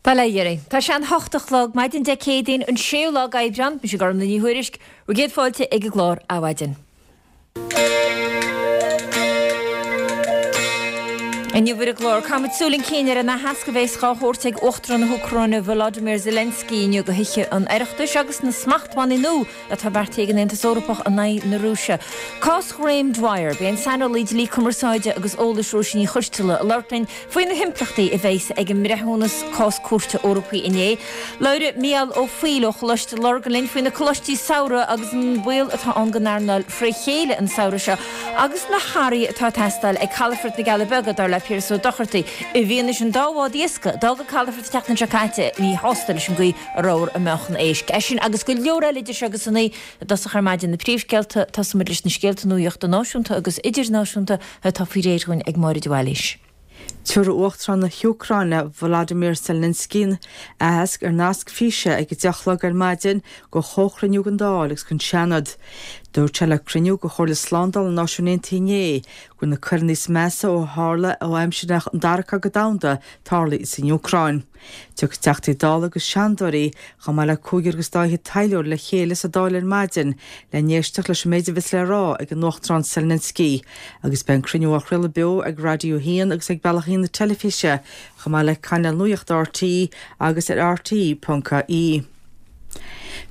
Bail ó Dhia oraibh. Tá sé an hocht a chlog, maidin Dé Céadaoin, an séú lá d'Aibreán. Mise Gormlaith Ní Thuairisg, bhur gcéad fáilte ag an gclár Adhmhaidin. Inniu ar an gclár, caithfimid súil chun cinn ar an aitheasc a bheas dhá thabhairt ag Uachtarán na hÚcráine Volodymyr Zelensky inniu do Thithe an Oireachtais agus na smachtbhannaí nua atá beartaithe ag an Aontas Eorpach in aghaidh na Rúise. Cás Ghraham Dwyer, Beidh an saineolaí dlí cumarsáide agus eolais Róisín Ní Choisteala ag labhairt linn faoi na himpleachtaí a bheas ag an mbreithiúnas cás cúirte Eorpaí inné. Labhróidh Mícheál Ó Foighil ó Choláiste Lurgan linn faoi na coláistí samhraidh agus an baol atá ann don earnáil fré chéile an samhradh seo agus na hathruithe atá ag teastáil ag Calafort na gCealla Beaga, dar le Piaras Ó Dochartaigh, i bhfianaise an dá bhád iascaigh a d'fhág an calafort an tseachtain seo caite míshásta leis an gcaoi a rabhthar ag meáchan éisc. É sin agus go leor eile idir seo agus a naoi i dtosach ar maidin na príomhscéalta, tosóimid leis na scéalta nuachta náisiúnta agus idirnáisiúnta atá faoi réir dhúinn ag Máire de Bhailís. Tabharfaidh Uachtarán na hÚcráine Volodymyr Zelensky aitheasc ar nasc físe ag 10 a chlog ar maidin do chomhchruinniú den Dáil agus den Seanad. Dúirt sé le cruinniú de Chomhairle Slándála na Náisiún Aontaithe inné go bhfuil na coireanna is measa ó tharla ó aimsir an Dara Cogadh Domhanda tarlaithe san Úcráin. Tiocfaidh Teachtaí Dála agus Seanadóirí, chomh maith le cúigear agus dá fhichead taidhleoir le chéile sa Dáil ar maidin le n-éisteacht leis an méid a bheas le rá ag an Uachtarán Zelensky agus beidh an cruinniú á chraoladh beo ag Raidió 1 agus ag Bealach 1 na teilifíse chomh maith le cainéal nuachta RTÉ agus ar rte.ie.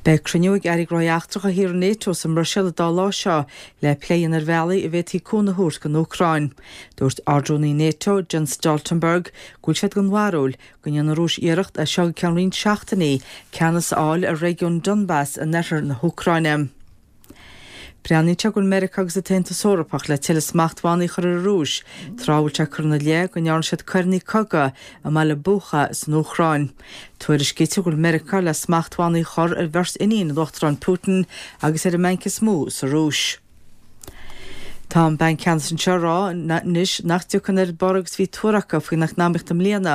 Beidh cruinniú ag Airí Gnóthaí Eachtracha thíortha Nato sa mBruiséil an dá lá seo le plé a dhéanamh ar bhealaí a bhféadfaí cúnamh a thabhairt don Úcráin. Dúirt Ard-Rúnaí Nato, Jens Stoltenberg, go bhfuil siad den bharúil go ndéanfaidh an Rúis iarracht as seo go ceann roinnt seachtainí ceannas a fháil ar réigiún Donbas in oirthear na hÚcráine. Breathnaíonn sé go bhfuil Meiriceá agus an tAontas Eorpach le tuilleadh smachtbhannaí a chur ar an Rúis, tráth a bhfuil sé curtha ina leith go ndearna siad coireanna cogaidh i mbaile Bucha san Úcráin. Tuairiscítear go bhfuil Meiriceá le smachtbhannaí a chur ar bheirt iníon an Uachtaráin Putin agus ar an mbanc is mó sa Rúis. Tá an Banc Ceannais anseo ag rá anois nach dtiocfaidh an oiread borradh agus a bhí tuartha acu faoin eacnamaíocht i mbliana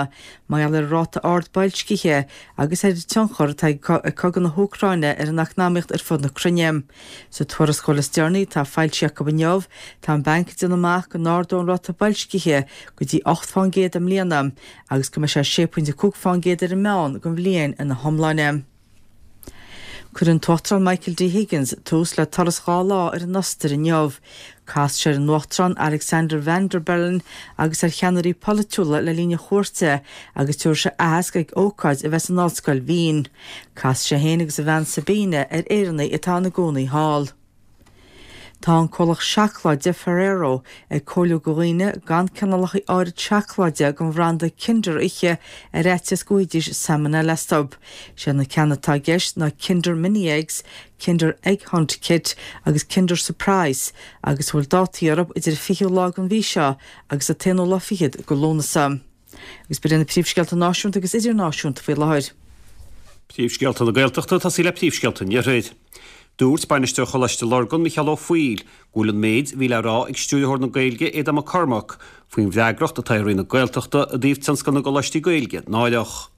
mar gheall ar an ráta ard boilscithe agus ar an tionchar atá ag cogadh na hÚcráine ar an eacnamaíocht ar fud na cruinne. Sa tuarascáil is deireanaí atá foilsithe acu inniu, tá an banc ag déanamh amach go n-ardóidh an ráta boilscithe go dtí 8 fán gcéad i mbliana agus go mbeidh sé 6.5 fán gcéad ar an meán don bhliain ina hiomláine. Cuirfidh an tUachtarán Michael D. Higgins tús le turas 2 lá ar an Ostair inniu. Casfaidh sé ar an Uachtarán Alexander Van der Bellen agus ar cheannairí polaitiúla le linn a chuairte agus tabharfaidh sé aitheasc ag ócáid a bheas in Ollscoil Wien. Casfaidh sé féin agus a bhean Sabine ar Éireannaigh atá ina gcónaí thall. Tá an comhlacht seacláide Ferrero ag comhairliú do dhaoine gan cineálacha áirid seacláide den bhranda Kinder a ithe ar fhaitíos go bhfaighidís salmonella astu. Sé na ceanna atá i gceist ná Kinder Mini Eggs, Kinder Egg Hunt Kit agus Kinder Surprise agus a bhfuil dátaí orthu idir an 20ú lá den mhí seo agus an t-aonú lá fichead de Lúnasa. Agus b'in iad na príomhscéalta náisiúnta agus idirnáisiúnta faoi láthair. Príomhscéalta na Gaeltachta, ag tosaí le príomhscéalta an Iarthair. Dúirt Bainisteoir Choláiste Lurgan, Micheál Ó Foighil, go bhfuil an méid a bhí le rá ag Stiúrthóir na Gaeilge, Aodán Mac Cormaic, faoin bhfreagracht atá ar Roinn na Gaeltachta i dtaobh tionscal na gcoláistí Gaeilge náireach.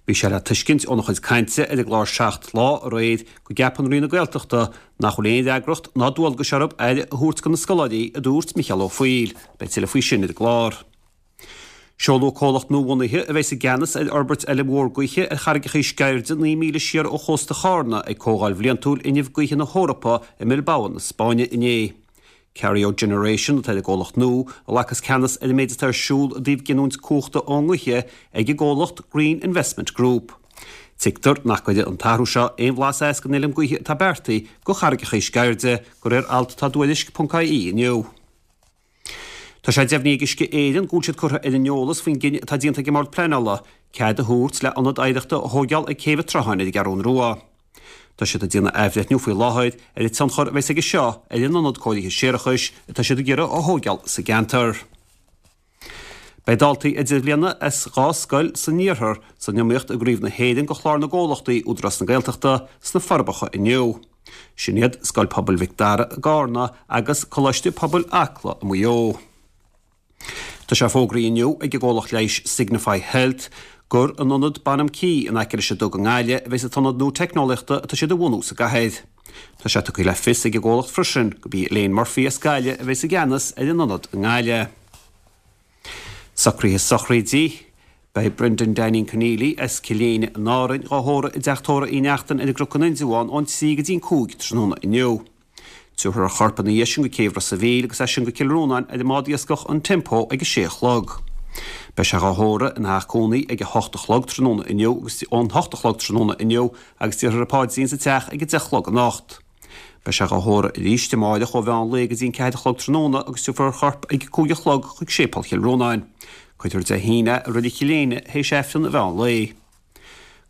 Bhí sé le tuiscint óna chuid cainte ar an gclár Seacht Lá aréir go gceapann Roinn na Gaeltachta nach bhfuil aon fhreagracht ná dualgas orthu aire a thabhairt do na scoláirí, a dúirt Micheál Ó Foighil. Beidh tuilleadh faoi sin ar an gclár. Seoladh comhlacht nuabhunaithe a bheas i gceannas ar fhorbairt fheilm mhór gaoithe ar charraigeacha Sceirde 9 míle siar ó chósta Chárna ag Comhdháil Bhliantúil Fhuinnimh Gaoithe na hEorpa i mBilbao na Spáinne inné. Kario Generation atá ar an gcomhlacht nua a ghlacas ceannas ar an méid atá ar siúl i dtaobh giniúint cumhachta ón ngaoth ag an gcomhlacht Green Investment Group. Tuigtear nach gcuirfidh an t-athrú seo aon bhlas as don fheilm gaoithe atá beartaithe do charraigeacha Sceirde, de réir alt atá i dTuairisc.ie inniu. Tá sé deimhnithe ag Uisce Éireann go bhfuil siad curtha ar an eolas faoin gcinneadh atá déanta ag an mBord Pleanála cead a thabhairt le ionad oidhreachta a thóigeáil ag Céibh an tSrutháin ar an gCeathrún Rua. Tá siad ag déanamh athbhreithniú faoi láthair ar an tionchar a bheas aige seo ar an ionad cóirithe séarachais atá siad ag iarraidh a thóigeáil sa gceantar. Beidh daltaí idirbhliana as 2 scoil san iarthar san iomaíocht i gCraobh na hÉireann do Chlár na gComhlachtaí Údarás na Gaeltachta sna Forbacha inniu. Sin iad Scoil Pobail Mhic Dara i gCarna agus Coláiste Pobail Acla i Maigh Eo. Tá sé fógraithe inniu ag an gcomhlacht leighis Signify Health gur in ionad Bonham Quay in aice leis an Dug i nGaillimh a bheas an t-ionad nua teicneolaíochta atá siad a bhunú sa gcathair. Tá sé tugtha le fios ag an gcomhlacht freisin gurb í Elaine Murphy as Gaillimh a bheas i gceannas ar an ionad i nGaillimh. Socruithe sochraide. Beidh Brendan Danny Conneely as Cill Éinne in Árainn dhá thórramh i dTeach Tórraimh Uí Neachtain ar an gCnoc in Indreabhán ón 3 go dtí'n 5 tráthnóna inniu. Tabharfar a chorp ina dhiaidh sin go Céibh Ros a' Mhíl agus as sin go Cill Rónáin ar an mbád iascach an Tempo ag a sé a chlog. Beidh sé dhá thórramh ina theach cónaí ag a hocht a chlog tráthnóna inniu agus ón hocht a chlog tráthnóna inniu agus déarfar an paidrín sa teach ag a deich a chlog anocht. Beidh sé dhá thórramh arís amáireach ó mheán lae go dtí an ceathair a chlog tráthnóna agus tabharfar a chorp ag a 5 a chlog chuig Séipéal Chill Rónáin. Cuirfear Dé hAoine é i Reilig Chill Éinne théis Aifreann an mheán lae.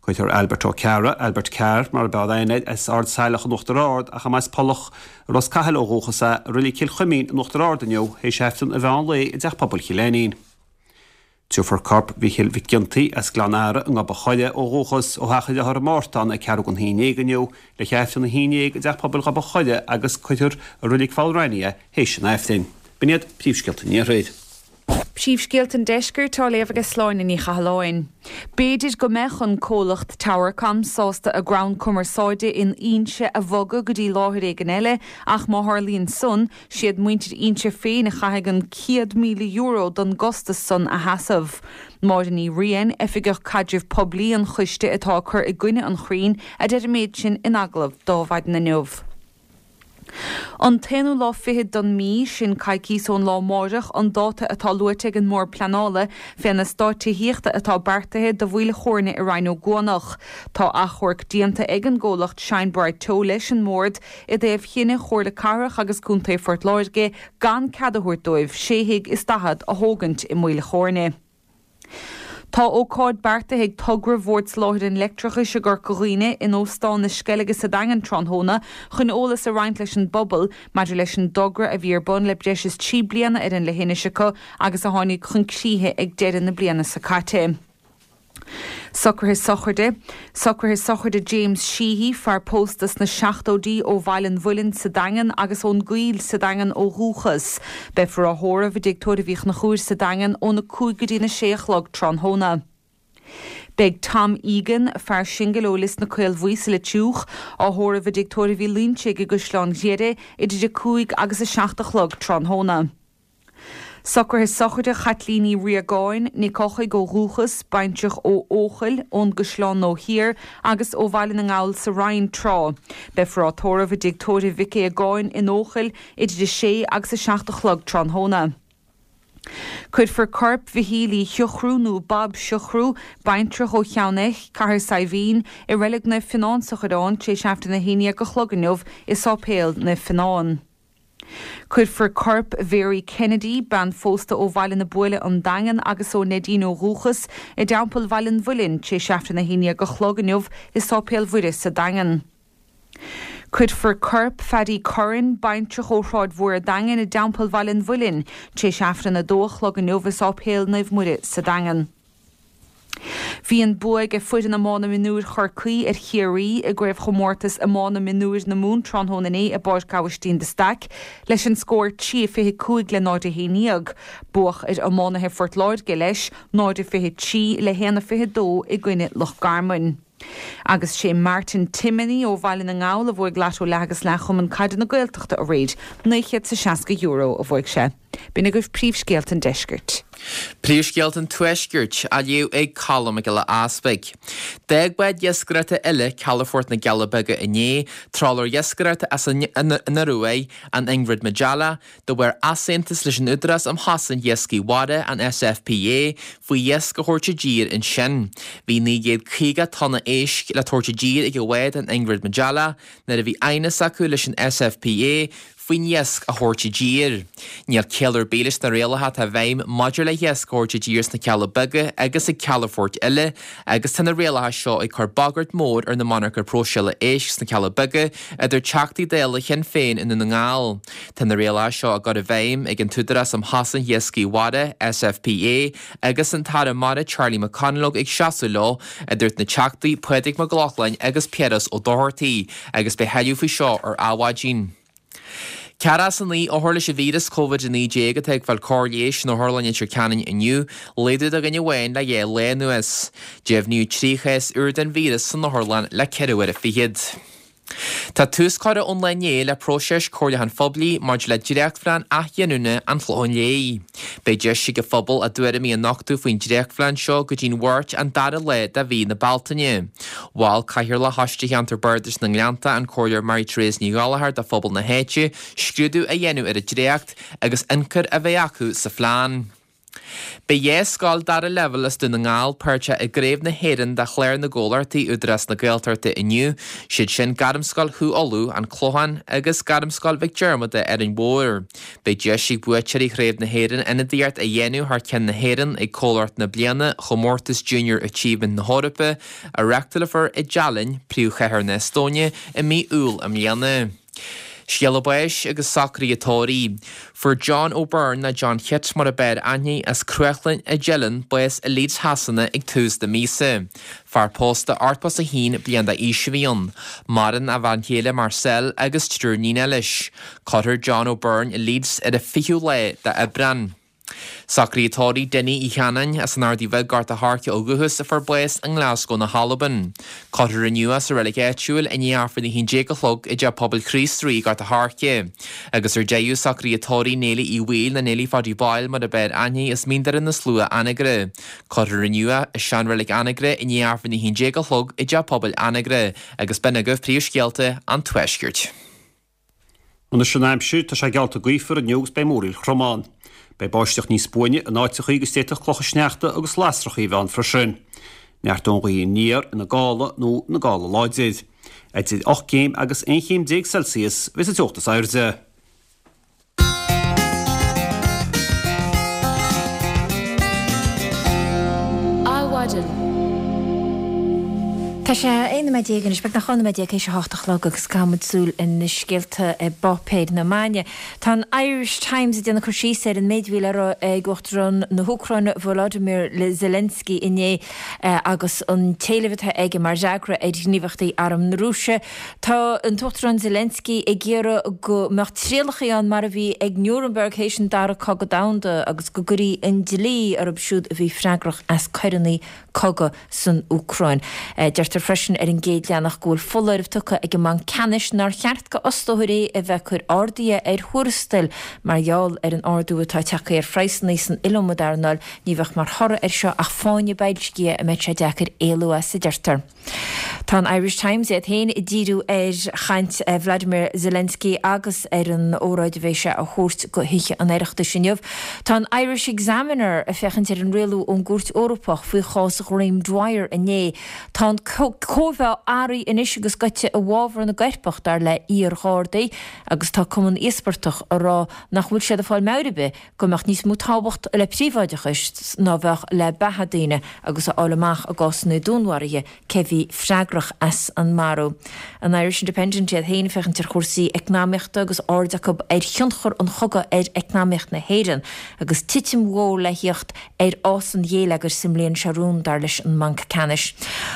Cuirfear Albert Ó Cearra, Albert Carr mar ab fhearr aithne air, as Ard Saileach in Uachtar Ard ach a mb'as Pollach i Ros Cathail ó dhúchas é, i Reilig Chill Chuimín in Uachtar Ard inniu théis Aifreann an mheán lae i dTeach Pobail Chill Ainnín. Tiubharfar corp Mhichíl Mhic Ginty, as Gleann Earra i nGob a' Choire ó dhúchas, ó theach a dhearthár i Mártán ag ceathrú don haon dhéag inniu le hAifreann a haon dhéag i dTeach Pobail Ghob a' Choire agus cuirfear i Reilig Pholl Raithní é théis an Aifrinn. B'in iad príomhscéalta an Iarthair. Príomhscéalta an Deiscirt á léamh aige Sláine Ní Chathalláin. B'fhéidir go mbeadh an comhlacht Towercom sásta a gcrann cumarsáide in Inse a bhogadh go dtí láthair éigin eile ach má tharlaíonn san, Siad muintir Inse féin a chaithfidh an €100,000 don gcostas san a sheasamh. Máire Ní Riain, Oifigeach Caidrimh Poiblí an choiste atá ag cur i gcoinne an chrainn, a deir an méid sin in agallamh do Adhmhaidin inniu. An t-aonú lá fichead don mí, sin coicíos ón lá amáireach, an dáta atá luaite ag an mBord Pleanála fén eastát tithíochta atá beartaithe do Mhaoil Chóirne i Rinn Ó gCuanach. Tá achomharc déanta ag an gcomhlacht Shine Bright Teo leis an mBord i dtaobh chinneadh Chomhairle Cathrach agus Contae Phort Láirge gan cead a thabhairt dóibh sé thigh is daichead a thógaint i Maoil Chóirne. Tá ócáid beartaithe ag togra Bhord Soláthair an Leictreachais i gCorca Dhuibhne in Óstán na Sceilge sa Daingean tráthnóna chun eolas a roinnt leis an bpobal maidir leis an dtogra a bhí ar bun le breis is 3 bliana ar an leithinis acu agus a tháinig chun críche ag deireadh na bliana seo caite. Socruithe sochraide, Socruithe sochraide James Sheehy, fear pósta sna seachtóidí ó Bhaile an Mhuilinn sa Daingean agus ón gCoill sa Daingean ó dhúchas. Beifear á thórramh i dTigh Tórraimh Uí Chonchúir sa Daingean óna 5 go dtína 6 a chlog tráthnóna. Beidh Tom Egan, fear singil ó Lios na Caolbhuí sa Leitriúch, á thórramh i dTigh Tórraimh Uí Loinsigh i gCaisleán Ghriaire idir 5 agus 7 a chlog tráthnóna. Socruithe sochraide Chaitlín Uí Riagáin, Nic Eochaidh ó dhúchas, baintreach ó Eochaill, ón gCaisleán Nua Thiar agus ó Bhaile na nGall sa Rinn tráth. Beifear á tórramh i dTigh Tórraimh Mhic Aogáin in Eochaill idir 6 agus 7 a chlog tráthnóna. Cuirfear corp Mhichíl Uí Shiochrú nó Bob Siochrú, baintreach ó Cheann Eich, Cathair Saidhbhín, i Reilig Naomh Fionán sa Choireán tar éis Aifreann a haon dhéag a chlog inniu i Sáipéal Naomh Fionán. Cuirfear corp Mhary Kennedy, bean phósta ó Bhaile na Buaile, An Daingean, agus ó Neidín ó dhúchas, i dTeampall Bhaile an Mhuilinn, tar éis Aifreann 11 a chlog inniu i Sáipéal Mhuire sa Daingean. Cuirfear corp Phaddy Curran, baintreach ó Shráid Mhór an Daingin, i dTeampall Bhaile an Mhuilinn, tar éis Aifreann 2 a chlog inniu i Sáipéal Naomh Muire sa Daingean. Bhí an bua ag foireann iomána mionúir Chorcaí ar Chiarraí i gCraobhchomórtas Iomána Mionúir na Mumhan tráthnóna inné i bPáirc Abhaistín de Staic leis an scór 3-25 le 0-11. Buadh ar iománaithe Phort Láirge leis, 0-23 le 1-22 i gcoinne Loch Garman. Agus sé Martin Timoney ó Bhaile na nGall a bhuaigh Lotto Leath agus Leath Chumann Caide na Gaeltachta aréir. €960 a bhuaigh sé. B'in agaibh príomhscéalta an deiscirt. Príomhscéalta an Tuaiscirt á léamh ag Colm Mac Giolla Easpaig. D'fhág bád iascaireachta eile calafort na gCealla Beaga inné, trálaer iascaireachta as an Ioruaidh, an Ingrid Majella, de bharr easaontas leis an Údarás um Chosaint Iascaigh Mhara, an SFPA, faoi iasc a thabhairt i dtír ansin. Bhí 950 tonna éisc le tabhairt i dtír ag an bhád an Ingrid Majella nuair a bhí aighneas acu leis an SFPA faoin iasc a thabhairt i dtír. Níl ciall ar bith leis na rialacha atá i bhfeidhm maidir le hiasc a thabhairt i dtír sna Cealla Beaga agus ag calafoirt eile agus tá na rialacha seo ag cur bagairt mhór ar na monarcha próiseála éisc sna Cealla Beaga, a dúirt Teachtaí Dála Shinn Féin i nDún na nGall. Tá na rialacha seo á gcur i bhfeidhm ag an tÚdarás um Chosaint Iascaigh Mhara, SFPA, agus an tAire Mara Charlie McConalogue ag seasamh leo, a dúirt na Teachtaí Pádraig Mac Lochlainn agus Piaras Ó Dochartaigh. Agus beidh tuilleadh faoi seo ar Adhmhaidin. 49 othar leis an víreas Covid-19 atá ag fáil cóir leighis in Otharlann Leitir Ceanainn inniu, laghdú de dhuine amháin le 2 lá anuas. Deimhníodh 3 chás úr den víreas san otharlann le ceithre huaire fichead. Tá tús curtha ón lá inné le próiseas comhairliúcháin phoiblí maidir le dréachtphlean athghiniúna an Chlocháin Léith. Beidh deis ag an phobal a dtuairimí a nochtadh faoin dréachtphlean seo go dtí'n Mháirt an dara lá de mhí na Bealtaine. Mhol Cathaoirleach Choiste Cheantar Bardais na nGleannta, an Comhairleoir Mary Therese Ní Ghallchóir do phobal na háite scrúdú a dhéanamh ar an dréacht agus ionchur a bheith acu sa phlean. Beidh 2 scoil dara leibhéal as Dún na nGall páirteach i gCraobh na hÉireann de Chlár na gComhlachtaí Údarás na Gaeltachta inniu, siad sin Gairmscoil Chú Uladh, An Clochán agus Gairmscoil Mhic Diarmada, Árainn Mhór. Beidh deis ag buaiteoirí Chraobh na hÉireann ionadaíocht a dhéanamh thar ceann na hÉireann ag Comhlacht na Bliana Chomórtas Junior Achievement na hEorpa, a reáchtálfar i dTaillinn, príomhchathair na hEastóine, i mí Iúil i mbliana. Scéala báis agus socruithe tórraimh. Fuair John O'Byrne, nó John Chit mar a b'fhearr aithne, as Cruachlainn i dTeileann, bás i Leeds Shasana ag tús na míosa. Fear pósta 81 bliain d'aois a bhí ann. Maireann a bhean chéile Marcelle agus triúr níonacha leis. Cuirfear John O'Byrne i Leeds ar an 20ú lá d'Aibreán. Socruithe tórraimh Dinny Uí Chanáin as an Ardaidh Bhig, Gort a' Choirce ó dhúchas a fuair bás i nGlasgow na hAlban. Cuirfear inniu é sa reilig áitiúil i ndiaidh Aifreann 11 a chlog i dTeach Pobail Chríost Rí, Gort a' Choirce. Agus ar deireadh, socruithe tórraimh Néilí Uí Bhaoill nó Néilí Pháidí Boyle mar a b'fhearr aithne as Mín Doire na Slua, Anagaire. Cuirfear inniu é i seanreilig Anagaire i ndiaidh Aifreann 11 a chlog i dTeach Pobail Anagaire agus b'in agaibh príomhscéalta an Tuaiscirt. Anois an aimsir, tá sé geallta gaofar inniu agus beidh múraíl throm ann. Beidh báisteach níos buaine in áiteachaí agus d'fhéadfadh clocha sneachta agus lasrachaí a bheith ann freisin. Neartóidh an ghaoth aniar ina gála nó ina gála láidir. Idir 8 gcéim agus 11 chéim Celsius a bheas an teocht is airde. Adhmhaidin. Tá sé 11 nóiméad anois, beagnach 12 nóiméad théis a hocht a chlog agus caithfidh muid súil ar na scéalta i bpáipéir na maidine. Tá an Irish Times ag déanamh cur síos ar an méid a bhí le rá ag Uachtarán na hÚcráine Volodymyr Zelensky inné agus an t-éileamh atá aige mar fhreagra ar ghníomhaíochtaí arm na Rúise. Tá an tUachtarán Zelensky ag iarraidh go mbeadh trialacha ann mar a bhí ag Nuremberg théis an Dara Cogadh Domhanda agus go gcuirfí an dlí orthu siúd a bhí freagrach as coireanna cogaidh san Úcráin. Deirtear freisin ar an gcéad leathanach go bhfuil foláireamh tugtha ag an mBanc Ceannais nár cheart go fhostóirí a bheith ag cur arduithe ar thuarastail mar gheall ar an ardú atá tagtha ar phraghsanna san iliomad earnáil. Ní bheadh mar thoradh air seo ach fáinne boilscithe a mbeidh sé deacair éalú as, a deirtear. Tá an Irish Times iad féin ag díriú ar chaint Vladimir Zelensky agus ar an óráid a bheidh sé a thabhairt go Thithe an Oireachtais inniu. Tá an Irish Examiner ag féachaint ar an rialú ón gCúirt Eorpach faoi chás Ghraeme Dwyer inné. Tá an cóimheá athraithe anois agus goite i bhfabhar na gcoirpeach, dar le iar-ghardaí, agus tá Cumann Íospartach ag rá nach bhfuil siad ag fáil meabhair ar bith go mbeadh níos mó tábhacht le príobháideachas ná bheadh le beatha daoine agus a fháil amach i gcásanna dúnmharaithe cé bhí freagrach as an marú. An Irish Independent iad féin ag féachaint ar chúrsaí eacnamaíochta agus aird acu ar thionchar an chogaidh ar eacnamaíocht na hÉireann agus titim mhór le thíocht ar fhás an ghéilleagair sa mbliain seo romhainn, dar leis an mBanc Ceannais.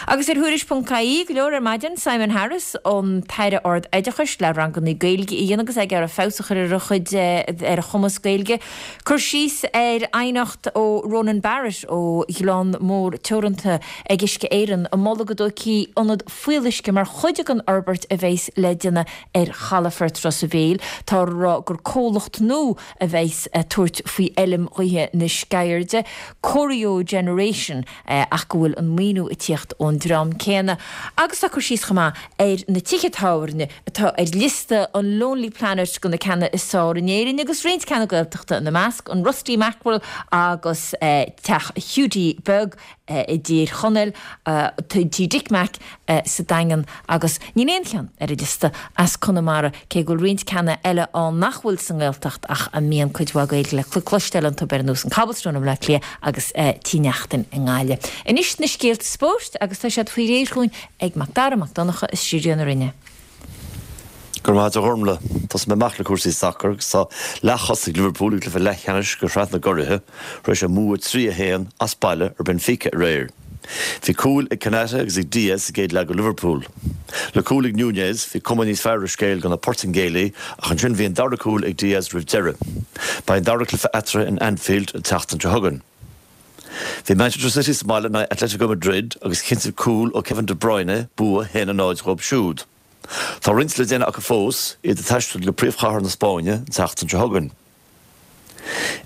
Agus ar Thuairisc.ie, go leor ar maidin, Simon Harris, an tAire Ard-Oideachais, le ranganna Gaeilge a dhéanamh agus é ag iarraidh feabhas a chur ar a chuid, ar a chumas Gaeilge. Cur síos ar aighneacht ó Ronan Barrett ó Ghleann Mór Teoranta ag Uisce Éireann ag moladh go dtógfaí ionad fuíolluisce mar chuid den fhorbairt a bheas le déanamh ar chalafort Ros a' Mhíl. Tá a rá gur comhlacht nua a bheas ag tabhairt faoi fheilm ghaoithe na Sceirde, Corio Generation, ach go bhfuil an maoiniú ag tíocht ón dream céanna. Agus tá cur síos chomh maith ar na tithe tábhairne atá ar liosta an Lonely Planet de na ceanna is fearr in Éirinn agus roinnt ceanna Gaeltachta ina measc, an Rusty Mackerel agus Teach Hiúdaí Beag. i dTír Chonaill, Tí Dick Mack sa Daingean agus níl aon cheann ar an liosta as Conamara, cé go bhfuil roinnt ceanna eile ann nach bhfuil sa nGaeltacht ach a mbíonn cuid mhaith Gaeilge le cloisteáil iontu, ar nós an Cobblestone i mBleá Cliath agus Tí Neachtain i nGaillimh. Anois na scéalta spóirt agus tá siad faoi réir chugainn ag Mac Dara Mac Donncha i stiúideo na Rinne. Go raibh maith agat a Ghormlaith. Tosóidh mé amach le cúrsaí sacair agus tá leath-thosaigh Liverpool i gcluiche leathcheannais de Shraith na gCuraithe tar éis a mbua 3-1 as baile ar Benfica aréir. Bhí cúil ag Konate agus ag Diaz sa gcéad leath do Liverpool. Le cúl ag Nunez, bhí cuma níos fearr ar an scéal do na Portaingéalaigh ach ansin bhí an dara cúl ag Diaz roimh deireadh. Beidh an dara cluiche eatarthu in Anfield an tseachtain seo chugainn. Bhí Manchester City sa mbaile in aghaidh Atletico Madrid agus chinntigh cúl ó Kevin De Bruyne bua 1-0 dhóibh siúd. Tá roinnt le déanamh acu fós, iad ag taisteal go príomhchathair na Spáinne an tseachtain seo chugainn.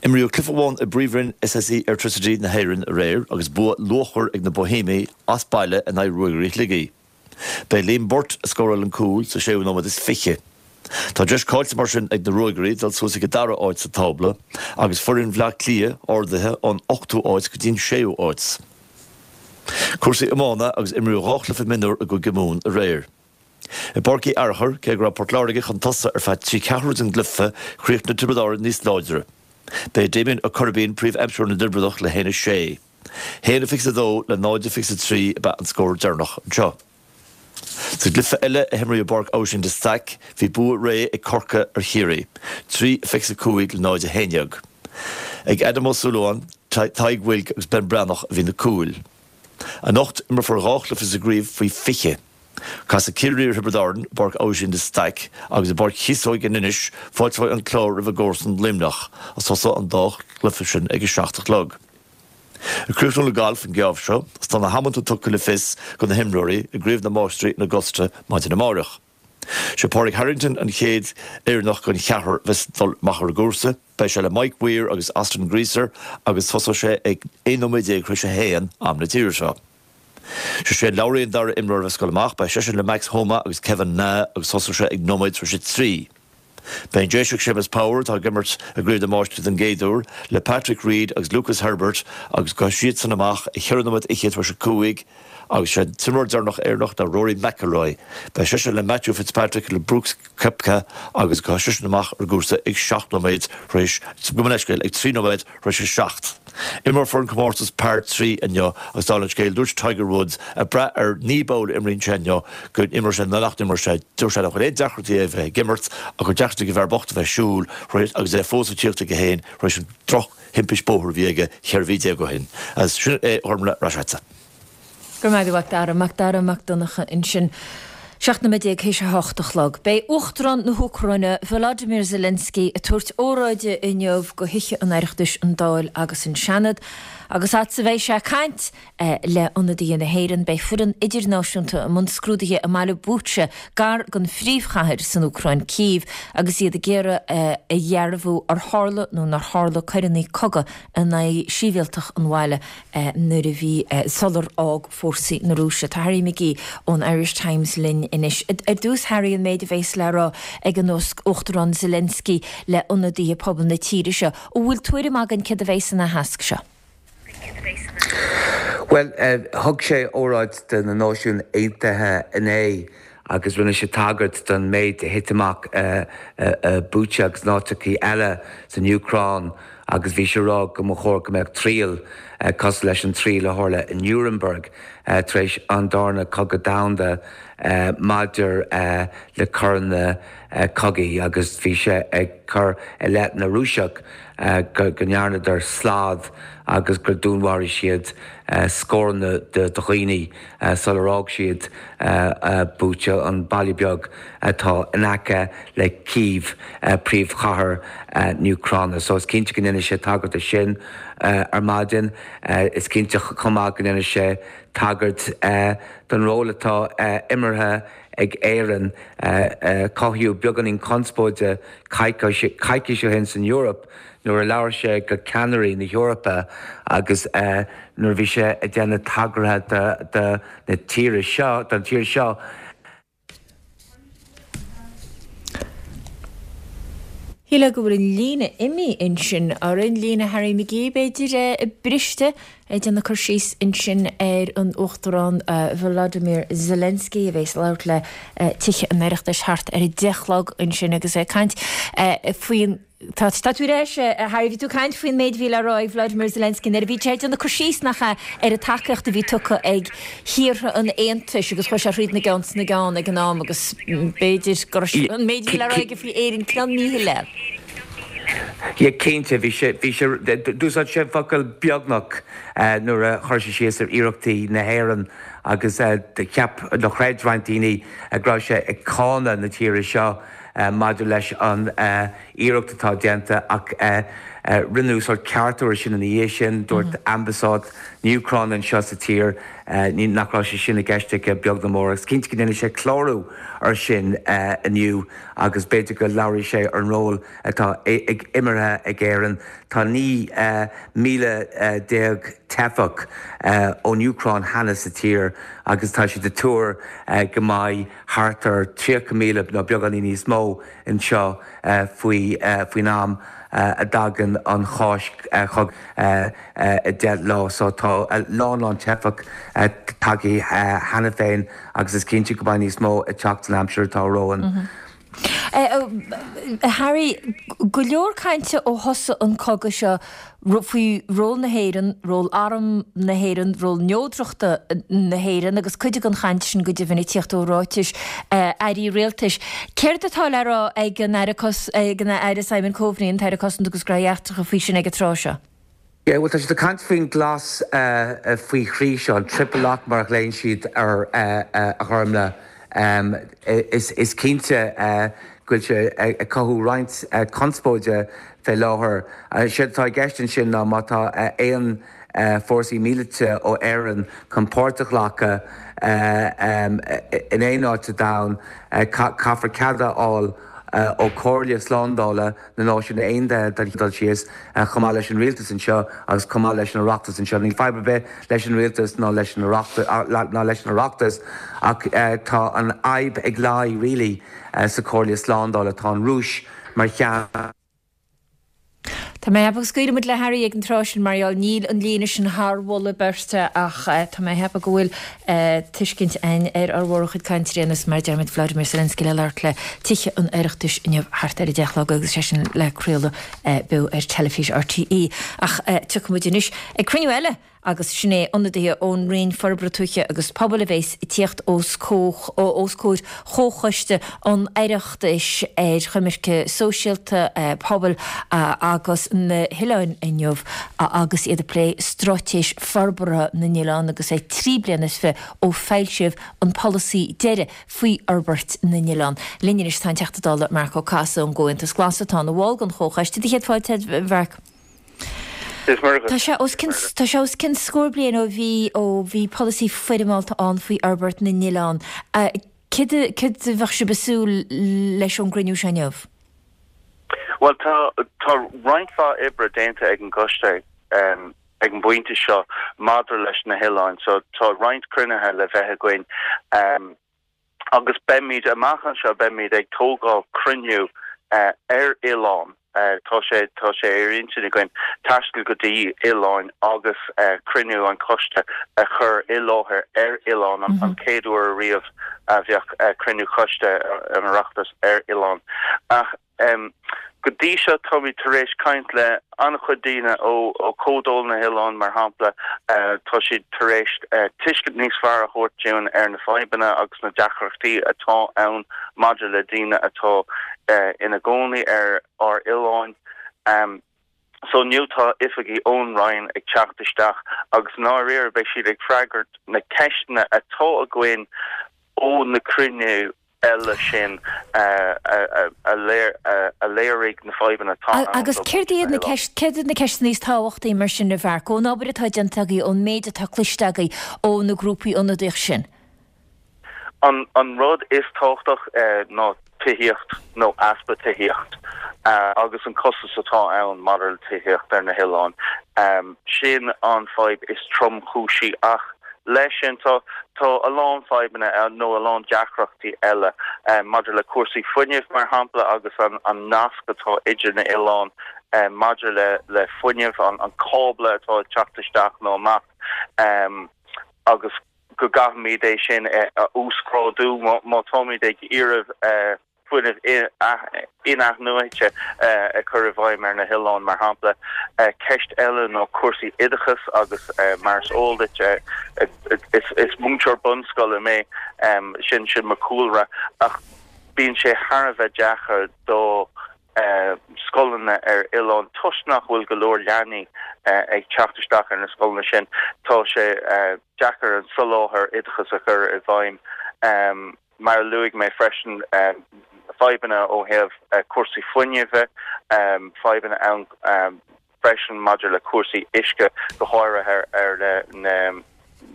Imríodh cluiche amháin i bPríomhroinn SSE Airtricity na hÉireann aréir agus bua luachmhar ag na Boihéamaigh as baile in aghaidh Ruagairí Shligigh. B'é Liam Burt a scóráil an cúl sa séú nóiméad is 20. Tá deis caillte mar sin ag na Ruagairí dul suas ag an dara áit sa tábla agus foireann Bhleá Cliath ardaithe ón ochtú áit go dtí an séú áit. Cúrsaí iomána agus imríodh 2 chluiche mionúr i gCúige Mumhan aréir. I bPáirc Uí Fhearchair, cé go raibh Port Láirge chun tosaigh ar feadh trí ceathrú den gcluiche, chríochnaigh Tiobraid Árann níos láidre. B'é Damien Ó Coirbín príomh-aimseoir na dTiobradach le 1-6. 1-22 le 0-23 ab ea an scór deireanach anseo. Sa gcluiche eile a himríodh i bPáirc Abhaisín de Staic, bhí bua réidh ag Corcaigh ar Chiarraí, 3-25 le 0-11. Ag Adam Ó Súilleabháin, Tadhg Wilk agus Ben Breathnach a bhí na cúil. Anocht, imreofar 2 chluiche sa gcraobh faoi 20. Casfaidh Ciarraí ar Thiobraid Árann i bPáirc Abhaisín de Staic agus i bPáirc Chíosóige in Inis, fáilteoidh an Clár roimh a gcomharsan Luimneach, agus tosóidh an dá chluiche sin ag a 7 a chlog. Ag críochnú le galf an geábh seo, is tá na hamanta tugtha le fios do na himreoirí i gCraobh na Máistrí in Augusta maidin amáireach. Sé Pádraig Harrington an chéad Éireannach den cheathrar a bheas ag dul amach ar an gcúrsa. Beidh sé le Mike Weir agus Austin Greaser agus tosóidh sé ag 11 nóiméad tar éis a haon, am na tíre seo. Sé Shane Lowry an dara imreoir a bheas ag dul amach. Beidh seisean le Max Homa agus Kevin Na agus tosóidh sé ag nóiméad tar éis a 3. Beidh an Déiseach Séamus Power, atá ag imirt i gCraobh na Máistrí den gcéad uair, le Patrick Reed agus Lucas Herbert agus gabhfaidh siadsan amach ag cheithre nóiméad fhichead tar éis a 5 agus sé an t-imreoir deireanach Éireannach ná Rory McIlroy. Beidh seisean le Matthew Fitzpatrick le Brooks Koepka agus gabhfaidh seisean amach ar an gcúrsa ag 7 nóiméad tar éis, gabh mo leithscéal, ag 3 nóiméad tar éis a 7. Imreofar an comórtas par 3 inniu agus dála an scéil dúirt Tiger Woods, ag brath ar ní b'fhearr a imríonn sé inniu, go n-imreoidh sé nó nach n-imreoidh sé. Dúirt sé nach bhfuil aon deacrachtaí aige a bheith ag imirt ach gur deacrachtaí ag an bhfear bocht a bheith ag siúl agus é fós ag tíocht chuige féin tar éis an droch-thimpist bóthair a bhí aige 14 mhí ó shin. Agus sin é a Ghormfhlaith, ar ais agatsa. Go raibh maith agat, a Mhac Dara. Mac Dara Mac Donncha ansin. 17 nóiméad théis a hocht a chlog. Beidh Uachtarán na hÚcráine, Volodymyr Zelensky, ag tabhairt óráide inniu do Thithe an Oireachtais, an Dáil agus an Seanad. Agus fhad is a bheidh sé ag caint le ionadaithe na hÉireann, beidh foireann idirnáisiúnta i mbun scrúdaithe i mbaile Bucha, gar don phríomhchathair san Úcráin, Cív, agus iad ag iarraidh a dhearbhú ar tharla nó nár tharla coireanna cogaidh in aghaidh sibhialtach an bhaile. nuair a bhí, sular fhág fórsaí na Rúise. Tá Harry McGee ón Irish Times linn anois. Ar dtús, Harry, an méid a bheas le rá ag an Uachtarán Zelensky le ionadaithe pobal na tíre seo, an bhfuil tuairim againn céard a bheidh san aitheasc seo? Bhuel, thug sé óráid do na Náisiúin Aontaithe inné agus rinne sé tagairt don méid a thit amach i Bucha agus in áiteachaí eile san Úcráin agus bhí sé ag rá go mba chóir go mbeadh triail cosúil leis an triail a tharla i Nuremberg tar éis an darna cogadh domhanda maidir le coireanna cogaidh agus bhí sé ag cur i leith na Rúiseach go ndearnadar slad agus gur dúnmharaigh siad scóranna de dhaoine sular fhág siad Bucha, an baile beag atá in aice le Cív, príomhchathair na hÚcráine. So is cinnte go ndéanfaidh sé tagairt do sin ar maidin. Is cinnte chomh maith go ndéanfaidh sé tagairt don ról atá imeartha ag Éirinn. Cothaíodh beagáinín conspóide coicís ó shin san Eoraip nuair a labhair sé go ceannairí na hEorpa agus nuair a bhí sé ag déanamh tagartha do na tíre seo, don tír seo. Shílfeá go bhfuil an líne imithe ansin orainn, líne Harry McGee b'fhéidir, briste, ag déanamh cur síos ansin ar an Uachtarán Volodymyr Zelensky a bheas ag labhairt le Tithe an Oireachtais thart ar a 10 a chlog ansin agus é ag caint faoin Tá tú ar ais, a Harry. Bhí tú ag caint faoin méid a bhí le rá ag Vladimir Zelensky nuair a bhí sé ag déanamh cur síos, nach ea, ar an tacaíocht a bhí tugtha ag thíortha an Aontais agus chuaigh sé thríd na gceann sna gceann ag an am agus b'fhéidir go raibh an méid a bhí le rá aige faoi Éirinn cineál míshoiléir. Yeah, cinnte, bhí sé, bhí sé, d'úsáid sé an focal beagnach nuair a chuir sé síos ar iarrachtaí na hÉireann agus cheap, nó chreid roinnt daoine go raibh sé ag cáineadh na tíre seo. maidir leis an iarracht atá déanta ach. Rinneadh sórt ceartú ar sin ina dhiaidh sin. Dúirt Ambasáid na hÚcráine anseo sa tír nach raibh sé sin i gceist aige beag ná mór agus cinnte go ndéanfaidh sé clárú ar sin inniu agus b'fhéidir go labhróidh sé ar an ról atá imeartha ag Éirinn. Tá 19 míle teifeach ón Úcráin cheana sa tír agus tá siad ag tuar go mbeidh thart ar 30,000 nó beagáinín níos mó anseo faoi faoin am a dtagann an Cháisc chugainn i 10 lá. So tá a lán lán teifeach tagtha cheana féin agus is cinnte go mbeidh níos mó ag teacht san aimsir atá romhainn. A Harry, go leor cainte ó thosaigh an cogadh seo faoi ról na hÉireann, ról arm na hÉireann, ról neodrachta na hÉireann agus cuid den chaint sin go deimhin ag tíocht ó ráitis airí rialtais. Céard atá le rá ag an Aire ag an Aire Simon Coveney, an tAire Cosanta agus Gnóthaí Eachtracha faoi sin ag an tráth seo? Yeah, bhuel tá siad ag caint faoin glas faoi thrí seo, an triple lock mar a ghlaonn siad air a Ghormlaith. Is cinnte go bhfuil sé ag cothú roinnt conspóide fé láthair. Séard atá i gceist ansin ná má tá aon fórsaí míleata ó Éirinn chun páirt a ghlacadh in aon áit sa domhan, caithfear cead a fháil ó Chomhairle Slándála na Náisiún Aontaithe don chéad dul síos, chomh maith leis an rialtas anseo agus chomh maith leis an Oireachtas anseo. Níl fadhb ar bith leis an rialtas ná leis an ná leis an Oireachtas ach tá an fhadhb ag luí really sa Chomhairle Slándála. Tá an Rúis mar cheann. Tá mé ag ceapadh go scaoilfidh muid le Harry ag an tráth sin mar gheall níl an líne sin thar mholadh beirte ach tá mé ag ceapadh go bhfuil tuiscint againn ar ár mhórchuid cainteoirí anois mar a deir muid Vladimir Zelensky le labhairt le Tithe an Oireachtais inniu thart ar 10 a chlog agus sé sin le craoladh beo ar teilifís RTÉ. Ach tiocfaidh muid anois ag cruinniú eile agus sin é ionadaithe ón Roinn Forbartha Tuaithe agus Pobail a bheas ag tíocht os comhair Chomhchoiste an Oireachtais ar Choimirce Sóisialta, Pobail agus na hOileáin inniu agus iad ag plé Straitéis Forbartha na nOileán agus é 23 bliana ó foilsíodh an polasaí deiridh faoi fhorbairt na n-oileán. Linn anois tá an Teachta Dála Marc Ó Cathasaigh ón gComhaontas Glas atá ina bhall den Chomhchoiste. Do chéad fáilte, a Mharc. Is maith Tá sé os cionn tá sé os cionn scór bliain ó bhí ó bhí polasaí foirmeálta ann faoi fhorbairt na n-oileán. Céard céard a bheadh sibh ag súil leis ón gcruinniú seo inniu? Bhuel tá tá roinnt mhaith oibre déanta ag an gcoiste ag an bpointe seo maidir leis na hoileáin so tá roinnt cruinnithe le bheith againn agus beimid amach anseo beimid ag tógáil cruinniú ar oileán. Tá sé tá sé ar intinn againn taisteal go dtí oileáin agus cruinniú an choiste a chur i láthair ar oileán, an chéad uair ariamh a bheadh cruinniú choiste an Oireachtais ar oileán. Ach Go dtí seo táimid tar éis caint le an-chuid daoine ó Chomhdháil na nOileán, mar shampla. Tá siad tar éis tuiscint níos fearr a thabhairt dúinn ar na fadhbanna agus na deacrachtaí atá ann maidir le daoine atá ina gcónaí ar ár oileáin. So inniu tá oifigigh ón Roinn ag teacht isteach agus i ndáiríre beidh siad ag freagairt na ceisteanna atá againn ó na cruinniú eile sin a léirigh na fadhbanna atá ann Agus céard iad na céard iad na ceisteanna is tábhachtaí mar sin, a Mharc, ón obair atá déanta agaibh, ón méid atá cloiste agaibh ó na grúpaí ionadaíoch sin? An rud is tábhachtach ná tithíocht nó easpa tithíocht agus an costas atá ann maidir le tithíocht ar na hoileáin. Sin an fadhb is tromchúisí ach Leis sin, tá tá a lán fadhbanna nó a lán deacrachtaí eile maidir le cúrsaí fuinnimh, mar shampla, agus an an nasc atá idir na oileáin maidir le le fuinneamh, an an cábla atá ag teacht isteach nó amach agus go gcaithfimid é sin a uasghrádú má táimid ag iarraidh fuinneamh in-athnuaite a chur i bhfeidhm ar na hoileáin, mar shampla. Ceist eile ná cúrsaí oideachais agus mar is eol duit, is múinteoir bunscoile mé, sin sin mo chúlra, ach bíonn sé thar a bheith deacair do scoileanna ar oileáin toisc nach bhfuil go leor leanaí ag teacht isteach ar na scoileanna sin. Tá sé deacair an soláthar oideachais a chur i bhfeidhm. Mar a luaigh mé freisin, fadhbanna ó thaobh cúrsaí fuinnimh, fadhbanna ann. freisin maidir le cúrsaí uisce, go háirithe ar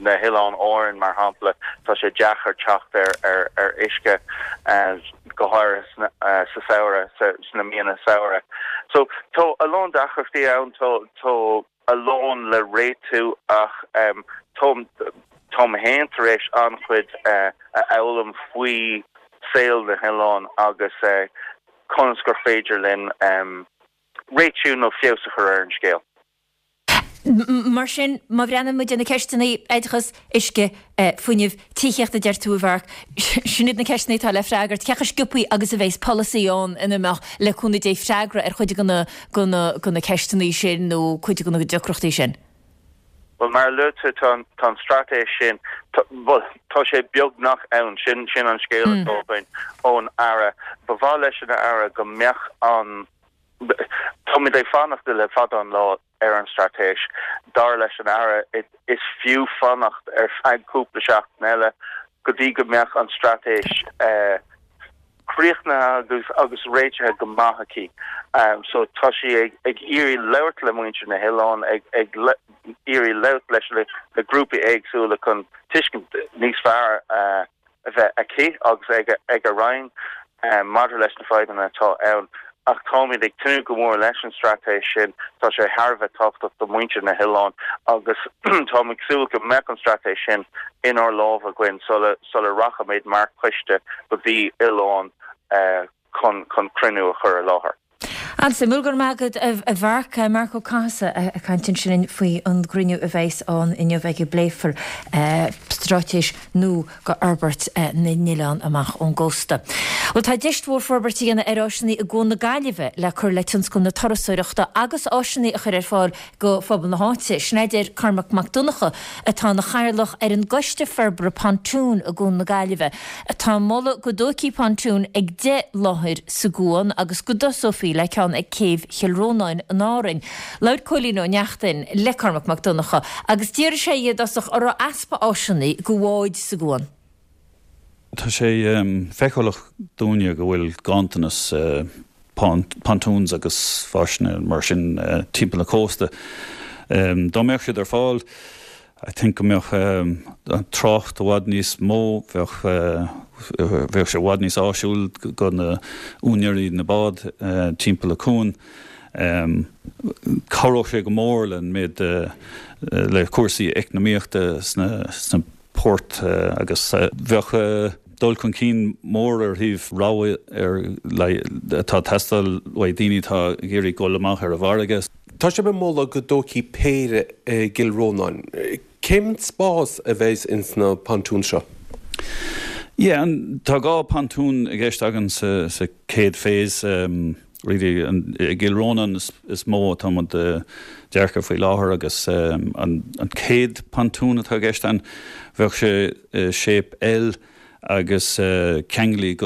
na hOileáin Árann, mar shampla. Tá sé deacair teacht ar uisce, go háirithe sa samhradh, sna míonna samhraidh. So tá a lán deacrachtaí ann, tá a lán le réitiú ach táim féin tar éis an-chuid a fhoghlaim faoi saol na n-oileán agus conas gur féidir linn réitiú nó feabhas a chur ar an scéal. Mar sin, má bhreathnaíonn muid ar na ceisteanna, oideachas, uisce, fuinneamh, tithíocht a deir tú a Mharc, sin iad na ceisteanna atá le freagairt. Cé chomh sciobthaí agus a bheas polasaí ann ina mbeadh, le cúnamh Dé, freagra ar chuid de na ceisteanna sin nó cuid de na deacrachtaí sin? Bhuel, mar a luaigh tú, tá an straitéis sin, bhuel, tá sé beagnach ann. Sin an scéal atá againn ón Aire. Ba mhaith leis an Aire go mbeadh an, táimid ag fanacht le fada an lá ar an straitéis. Dar leis an Aire, is fiú fanacht ar feadh cúpla seachtain eile go dtí go mbeadh an straitéis críochnaithe agus agus réitithe go maith aici. So tá sí ag ag iarraidh labhairt le muintir na hoileán, ag ag iarraidh labhairt leis na grúpaí éagsúla chun tuiscint níos fearr a bheith aici agus ag ag a roinn maidir leis na fadhbanna atá ann. Ach táimid ag tnúth go mór leis an straitéis sin. Tá sé thar a bheith tábhachtach do mhuintir na hoileán agus táim ag súil go mbeadh an straitéis sin inár lámha againn sula sula rachaimid mar choiste go dtí oileán chun chun cruinniú a chur i láthair. An-suimiúil, go raibh maith agat a Mharc. Marc Ó Cathasaigh ag caint ansin linn faoi an gcruinniú a bheas ann inniu ag a bpléifear straitéis nua go fhorbairt na n-oileán amach ón gcósta. Bhuel tá deis mhór forbairt a dhéanamh ar áiseanna i gCuan na Gaillimhe le cur le tionscal na turasóireachta agus áiseanna a chur ar fáil go phobal na háite. Sin é a deir Cormac Mac Donncha, atá ina chathaoirleach ar an gCoiste Forbartha Pontún i gCuan na Gaillimhe, atá ag moladh go dtógfaí pontún ag 10 láthair sa gcuan agus go dtosófaí le ceann ag Céibh Chill Rónáin in Árainn. Labhair Cóilín Ó Neachtain le Cormac Mac Donncha agus d'fhiafraigh sé dhe i dtosach an raibh easpa áiseanna go bháid sa gcuan. Tá sé feiceálach dúinne go bhfuil ganntanas pontoons agus áiseanna mar sin timpeall na cósta. Dá mbeadh siad ar fáil, I think go mbeadh an trácht i bhfad níos mó, bheadh bheadh sé i bhfad níos áisiúil go na úinéirí na bád timpeall an cuan. Cabhródh sé go mór le an méid le cúrsaí eacnamaíochta sna poirt agus bheadh dul chun cinn mór ar thaobh rogha ar atá ag teastáil uaidh daoine atá ag iarraidh dul amach ar an bhfarraige. Tá sibh ag moladh go dtógfaí péire i gCill Rónáin. Cén spás a bheas ins na pontúin seo? Yeah, tá 2 pontún i gceist againn sa chéad phase. Really, i gCill Rónáin is mó atá muid ag dearcadh faoi láthair agus an chéad pontún atá i gceist ann, bheadh sé i shape L agus ceanglaithe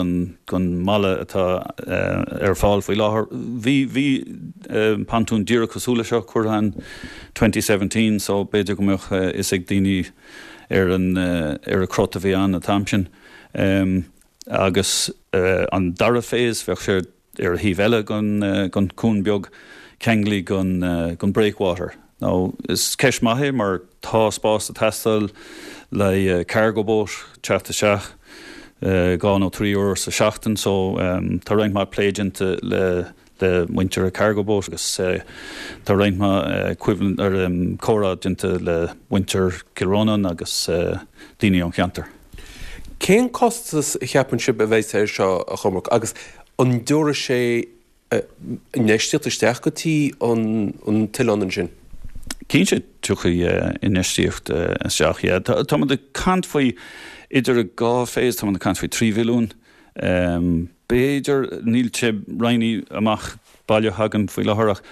gon mballa atá ar fáil faoi láthair. Bhí, bhí pontún díreach cosúil le seo curtha ann 2017 so b'fhéidir go mbeadh fhios ag daoine ar an, ar an crot a bhí ann an t-am sin. Agus an dara phase, bheadh sé ar an thaobh eile gon cuan beag, ceanglaithe gon breakwater. Now, is ceist maith é mar tá spás ag teastáil le cargo boat teacht isteach 2 nó 3 uair sa seachtain so tá roinnt mhaith plé déanta le le muintir an cargo boat agus tá roinnt mhaith comhrá déanta le muintir Chill Rónáin agus daoine ón cheantar. Cén costas a cheapann sibh a bheas air seo, a Chormaic, agus an dtabharfaidh sé infheistíocht isteach go dtí an t-oileán ansin? Cinnte, tiocfaidh infheistíocht isteach, yeah. Tá muid ag caint faoi idir an dhá phase, tá muid ag caint faoi 3 mhilliún. B'fhéidir, níl sé roinnte amach baileach againn faoi láthair ach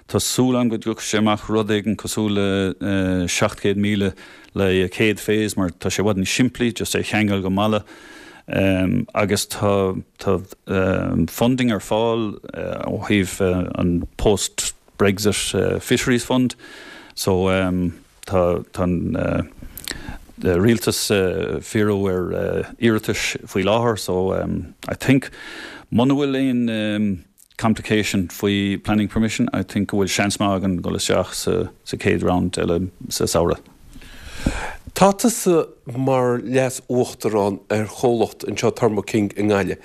tá súil agam go dtiocfaidh sé amach rud éigin cosúil le 700,000 le chéad phase mar tá sé i bhfad níos simplí just é a cheangal go mballa agus tá tá funding ar fáil ó thaobh an post Brexit Fisheries Fund so Tá an rialtas ag fíorú ar iarratais faoi láthair so I think muna bhfuil aon. complication faoi planning permission, I think go bhfuil seans maith againn dul isteach sa sa chéad round eile sa samhradh. Tá tusa mar leas-uachtarán ar chomhlacht anseo Thermo King i nGaillimh.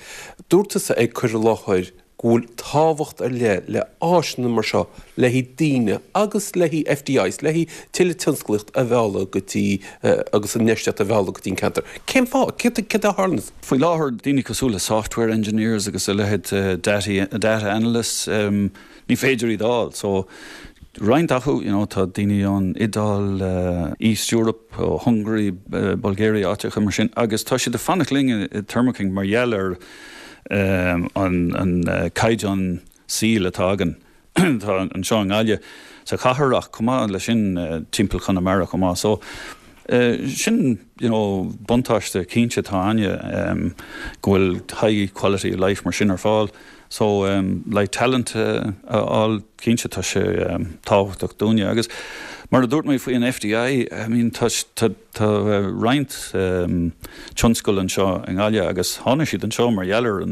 Dúirt tusa ag cur i láthair go bhfuil tábhacht ar leith le áiseanna mar seo le haghaidh daoine agus le haghaidh FDIs, le haghaidh tuilleadh tionsclaíocht a mhealladh go dtí agus infheistíocht a mhealladh go dtí an ceantar. Cén fáth? Céard a tharlaíonn? Faoi láthair, daoine cosúil le software engineers agus a leithéid, data analysts, ní féidir iad a fháil. So, roinnt acu, you know, tá daoine ón Iodáil, East Europe, ó Hungary, Bulgaria, áiteacha mar sin agus tá siad ag fanacht linn i Thermo King mar gheall ar an caighdeán saoil atá againn atá anseo i nGaillimh, sa chathair ach chomh maith leis sin timpeall Chonamara chomh maith. So sin you know buntáiste cinnte atá againne go bhfuil high quality of life mar sin ar fáil. So like talent a fháil cinnte tá sé tábhachtach dúinne agus mar a dúirt mé faoi an FDI I mean tá tá Tá roinnt tionscal anseo i nGaillimh agus tháinig siad anseo mar gheall ar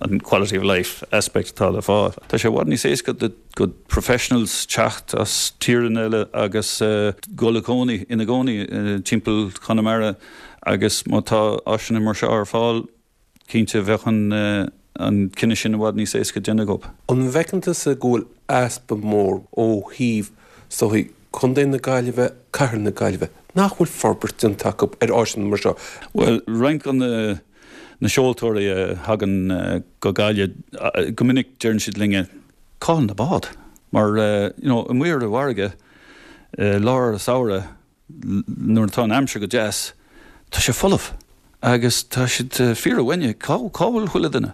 an quality of life aspect atá le fáil. Tá sé i bhfad níos éasca do professionals teacht as tíreanna eile agus dul a cónaí, ina gcónaí timpeall Chonamara agus má tá áiseanna mar seo ar fáil, Cinnte, bheadh an cinneadh sin i bhfad níos éasca déanamh acu. An bhfeiceann tusa go bhfuil easpa mór ó thaobh sochaí Contae na Gaillimhe, Cathair na Gaillimhe, nach bhfuil forbairt déanta acu ar áiseanna mar seo? Bhuel, roinnt de na seoltóirí a thagann go Gaillimh, go minic deireann siad linne, cá bhfuil na báid? Mar, you know, amuigh ar an bhfarraige, i lár an samhraidh, nuair atá an aimsir go deas, tá sé folamh agus tá siad fíor-uaigneach, cá cá bhfuil chuile duine?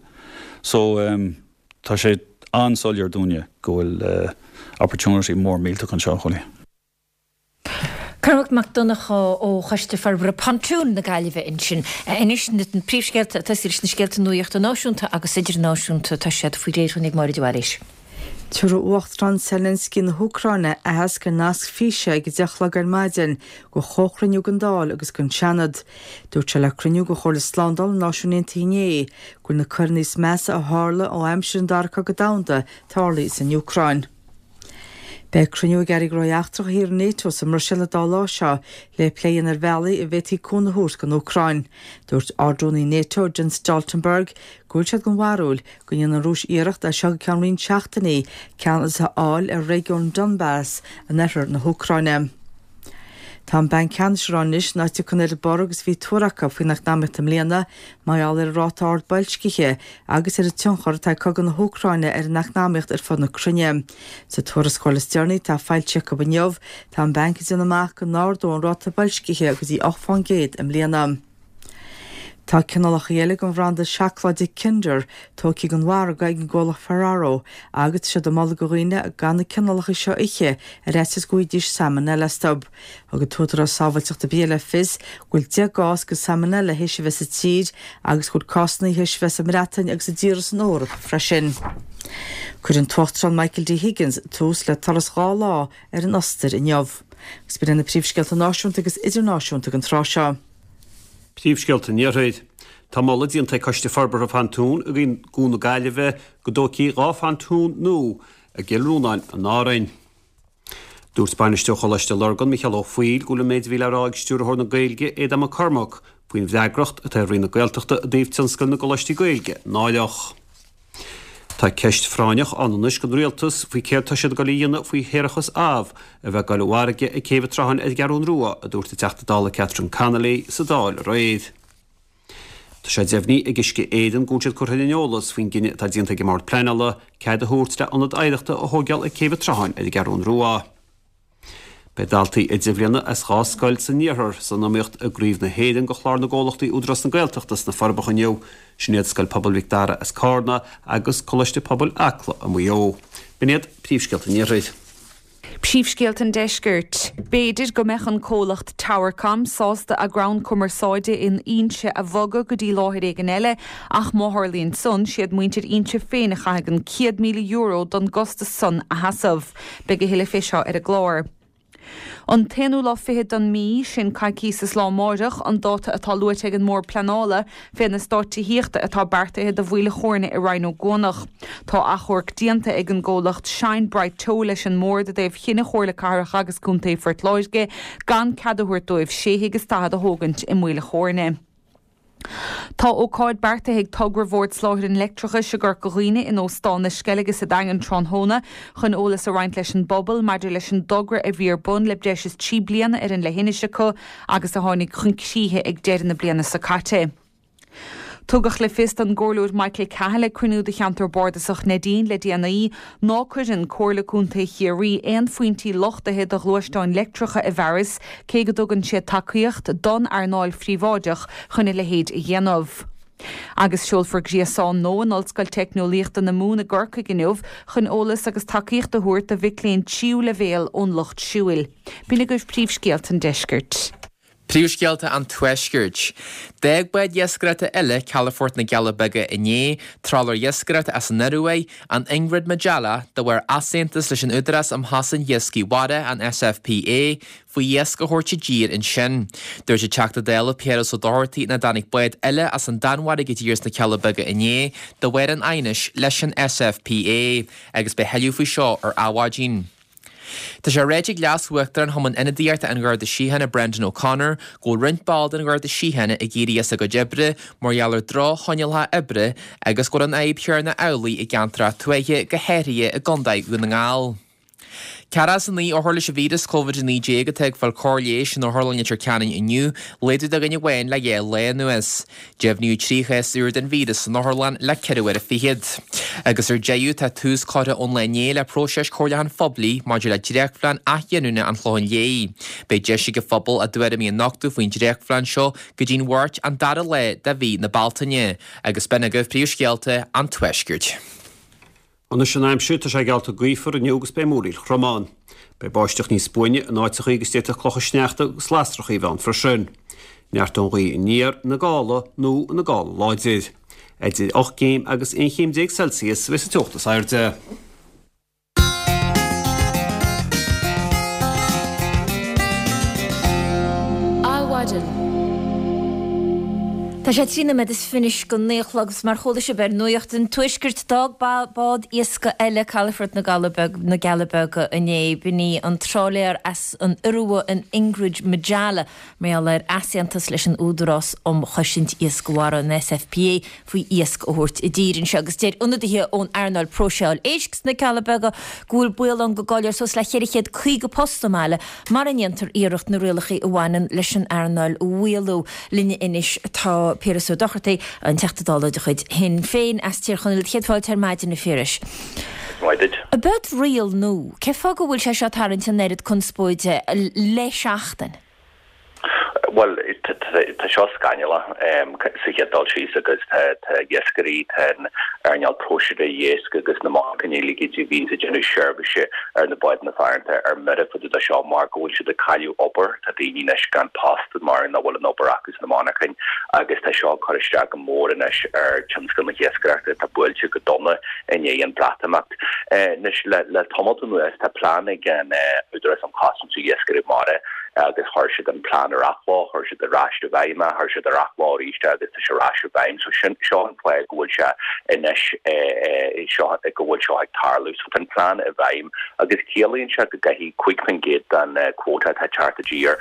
So tá sé an-soiléir dúinne go bhfuil opportunity mór millteach anseo, a Chóilí. Cormac Mac Donncha ó Choiste Forbartha Pontún na Gaillimhe ansin. Anois na príomhscéalta, ag tosaí leis na scéalta nuachta náisiúnta agus idirnáisiúnta, tá siad faoi réir dhúinn ag Máire de Bhailís. Tabharfaidh Uachtarán Zelensky na hÚcráine aitheasc ar nasc físe ag 10 a chlog ar maidin go chomhchruinniú den Dáil agus den Seanad. Dúirt sé le cruinniú de Chomhairle Slándála na Náisiún Aontaithe inné go bhfuil na coireanna is measa a tharla ó aimsir an Dara Cogadh Domhanda tarlaithe san Úcráin. Beidh cruinniú ag Airí Gnóthaí Eachtracha thíortha Nato sa mBruiséil an dá lá seo le plé a dhéanamh ar bhealaí a bhféadfaí cúnamh a thabhairt don Úcráin. Dúirt Ard-Rúnaí Nato, Jens Stoltenberg, go bhfuil siad den bharúil go ndéanfaidh an Rúis iarracht as seo go ceann roinnt seachtainí ceannas a fháil ar réigiún Donbas in oirthear na hÚcráine. Tá an Banc Ceannais ag rá anois ná tiocfaidh an oiread borradh agus a bhí tuartha acu faoin eacnamaíocht i mbliana mar gheall ar an ráta ard boilscithe agus ar an tionchar atá ag cogadh na hÚcráine ar an eacnamaíocht ar fud na cruinne. Sa tuarascáil is deireanaí atá foilsithe acu inniu, tá an Banc ag déanamh amach go n-ardóidh an ráta boilscithe go dtí 8 fán gcéad i mbliana. Tá cineálacha eile den bhranda seacláide Kinder tógtha den mhargadh ag an gcomhlacht Ferrero agus tá siad ag moladh do dhaoine gan na cineálacha seo a ithe ar fhaitíos go bhfaighidís salmonella astu. Thug an tÚdarás Sábháilteachta Bia le fios go bhfuil 10 gcás de salmonella théis a bheith sa tír agus go bhfuil cásanna théis a bheith sa mBreatain agus i dtíortha san Eoraip freisin. Cuirfidh an tUachtarán Michael D Higgins tús le turas 2 lá ar an Ostair inniu. Agus b'in iad na príomhscéalta náisiúnta agus idirnáisiúnta don tráth seo. Príomhscéalta an Iarthair. Tá moladh déanta ag Coiste Forbartha Phontún i gCuan na Gaillimhe go dtógfaí 2 phontún nua i gCill Rónáin in Árainn. Dúirt Bainisteoir Choláiste Lurgan, Micheál Ó Foighil, go bhfuil an méid a bhí le rá ag Stiúrthóir na Gaeilge, Aodán Mac Cormaic, faoin bhfreagracht atá ar Roinn na Gaeltachta i dtaobh tionscal na gcoláistí Gaeilge náireach. Tá ceist phráinneach ann anois don Rialtas faoi céard tá siad ag dul a dhéanamh faoi shéarachas amh a bheith ag dul i bhfarraige ag Céibh an tSrutháin ar an gCeathrún Rua, a dúirt an Teachta Dála Catherine Connolly sa Dáil aréir. Tá sé deimhnithe ag Uisce Éireann go bhfuil siad curtha ar an eolas faoin gcinneadh atá déanta ag an mBord Pleanála cead a thabhairt le ionad oidhreachta a thóigeáil ag Céibh an tSrutháin ar an gCeathrún Rua. Beidh daltaí idirbhliana as 2 scoil san iarthar san iomaíocht i gCraobh na hÉireann do Chlár na gComhlachtaí Údarás na Gaeltachta sna Forbacha inniu. Sin iad Scoil Pobail Mhic Dara as Cárna agus Coláiste Pobail Acla i Maigh Eo. B'in iad príomhscéalta an iarthair. Príomhscéalta an Deiscirt. B'fhéidir go mbeadh an comhlacht Towercom sásta a gcrann cumarsáide in Inse a bhogadh go dtí láthair éigin eile ach má tharlaíonn san, siad muintir Inse féin a chaithfidh an €100,000 don gcostas san a sheasamh. Beidh a thuilleadh fé seo ar an gclár. An t-aonú lá fichead den mí, sin coicíos is lá amáireach, an dáta atá luaite ag an mBord Pleanála fé na eastáit tithíochta atá beartaithe do Mhaoil a' Chóirne i Rinn Ó gCuanach. Tá achomharc déanta ag an gcomhlacht Shine Bright Teo leis an mBord i dtaobh chinneadh Chomhairle Cathrach agus Contae Phort Láirge gan cead a thabhairt dóibh sé thigh is 40 a thógaint i Maoil a' Chóirne. Tá ócáid beartaithe ag togra Bhord Soláthair an Leictreachais i gCorca Dhuibhne in Óstán na Sceilge sa Daingean tráthnóna chun eolas a roinnt leis an bpobal maidir leis an dtogra a bhí ar bun le breis is 3 bliana ar an leithinis acu agus a tháinig chun críche ag deireadh na bliana seo caite. Tugadh le fios don gComhairleoir Michael Cahill ag cruinniú de Cheantar Bardasach Neidín le déanaí ná cuireann Comhairle Contae Chiarraí aon phointí luchtaithe do ghluaisteáin leictreacha i bhfearas cé go dtugann siad tacaíocht don earnáil phríobháideach chun a leithéid a dhéanamh. Agus seolfar gréasán nua in Ollscoil Teicneolaíochta na Mumhan i gCorcaigh inniu chun eolas agus tacaíocht a thabhairt do mhic léinn tríú leibhéal ón Lucht Siúil. B'in agaibh príomhscéalta an deiscirt. Príomhscéalta an Tuaiscirt. D'fhág bád iascaireachta eile calafort na gCealla Beaga inné, trálaer iascaireachta as an Ioruaidh, an Ingrid Majella, de bharr easaontas leis an Údarás um Chosaint Iascaigh Mhara, an SFPA, faoi iasc a thabhairt i dtír ansin. Dúirt an Teachta Dála Piaras Ó Dochartaigh nach dtáinig bád eile as an Danmhairg i dtír sna Cealla Beaga inné de bharr an aighnis leis an SFPA agus beidh tuilleadh faoi seo ar Adhmhaidin. Tá sé ráite ag Leas-Uachtarán Chumann Ionadaíochta an Gharda Síochána Brendan O'Connor go bhfuil roinnt ball den Gharda Síochána ag éirí as a gcuid oibre mar gheall ar droch-choinníollacha oibre agus go bhfuil an fhadhb chéanna amhlaidh i gceantracha tuaithe, go háirithe i gContae Dhún na nGall. 49 othar leis an víreas Covid-19 atá ag fáil cóir leighis in Otharlann Leitir Ceanainn inniu, laghdú de dhuine amháin le 2 lá anuas. Deimhníodh 3 chás úr den víreas san otharlann le ceithre huaire fichead. Agus ar deireadh, tá tús curtha ón lá inné le próiseas comhairliúcháin phoiblí maidir le dréachtphlean athghiniúna an Chlocháin Léith. Beidh deis ag an phobal a dtuairimí a nochtadh faoin dréachtphlean seo go dtí'n Mháirt an dara lá de mhí na Bealtaine. Agus b'in agaibh príomhscéalta an Tuaiscirt. Anois an aimsir, tá sé geallta gaofar inniu agus beidh múraíl throm ann. Beidh báisteach níos buaine in áiteachaí agus d'fhéadfadh clocha sneachta agus lasrachaí a bheith ann freisin. Neartóidh an ghaoth aniar ina gála nó ina gála láidir. Idir 8 gcéim agus 11 chéim Celsius a bheidh sa teocht is airde. Adhmhaidin. Tá sé 13 nóiméad anois go 9 a chlog agus mar chuala sibh ar Nuacht an Tuaiscirt d'fhág bád iascaigh eile calafort na na gCealla Beaga inné. B'in í an trálaer as an Iorua an Ingrid Majella mar gheall ar easaontas leis an Údarás um Chosaint Iascaigh Mhara, an SFPA, faoi iasc a thabhairt i dtír anseo agus deir ionadaithe ón earnáil próiseáil éisc sna Cealla Beaga go bhfuil baol ann go gcaillfear suas le 450 post sa mbaile mara ndéantar iarracht na rialacha a bhaineann leis an earnáil a mhaolú. Linn anois tá Piaras Ó Dochartaigh, an Teachta Dála de chuid Shinn Féin as Tír Chonaill. Céad fáilte ar maidin, a Phiarais. Maith duit. Ab eod riail nua? Cén fáth go bhfuil sé seo ag tarraingt an oiread conspóide le seachtain? Bhuel, tá seo scannalach sa chéad dul síos agus tá iascairí, tá an earnáil próiseála éisc agus na monarchana uilig a bhíonns ag déanamh seirbhíse ar na bádanna farantacha ar mire fá dtaobh de seo mar go bhfuil siad ag cailleadh obair. Tá daoine anois gan post mar nach bhfuil an obair acu sna monarchain agus tá seo ag cur isteach go mór anois ar tionscal na hiascaireachta atá buailte go dona i ndiaidh an Bhreatimeacht. Anois le tamalt anuas tá plean ag an Údarás um Chosaint Iascairí Mara agus chuir siad an plean ar athló, chuir siad ar ais i bhfeidhm é, chuir siad ar athló arís é agus tá sé ar ais i bhfeidhm. So sin, seo an fáth go bhfuil sé anois, seo, go bhfuil seo ag tarlú. So tá an plean i bhfeidhm agus ciallaíonn sé go gcaithfidh 5% den quota atá ag teacht i dtír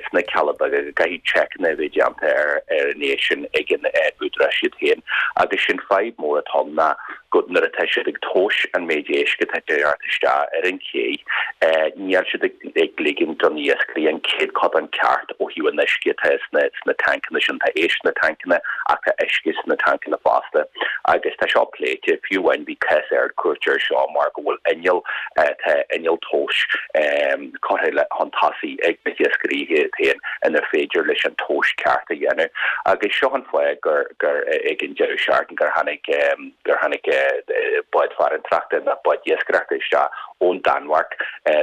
sna Cealla Beaga, go gcaithfidh seiceanna a bheith déanta ar ar an éisc sin ag an údarás iad féin. Agus sin fadhb mór atá ann ná go nuair atá siad ag tomhas an méid éisc atá ag teacht isteach ar an ché, níl siad ag ligean do na iascairí an céatadán ceart ó thaobh an uisce atá sna tancanna sin. Tá éisc sna tancanna ach tá uisce sna tancanna fosta. Agus tá seo pléite, fiú amháin bhí cás Ard-Chúirte ar seo mar go bhfuil inneall, tá inneall tomhais curtha chun tosaigh ag na hiascairí iad féin inar féidir leis an tomhas ceart a dhéanamh. Agus seo an fáth gur. gur ag an deireadh seachtaine gur tháinig gur tháinig bád farantóireachta nó bád iascaireachta isteach ón Danmhairg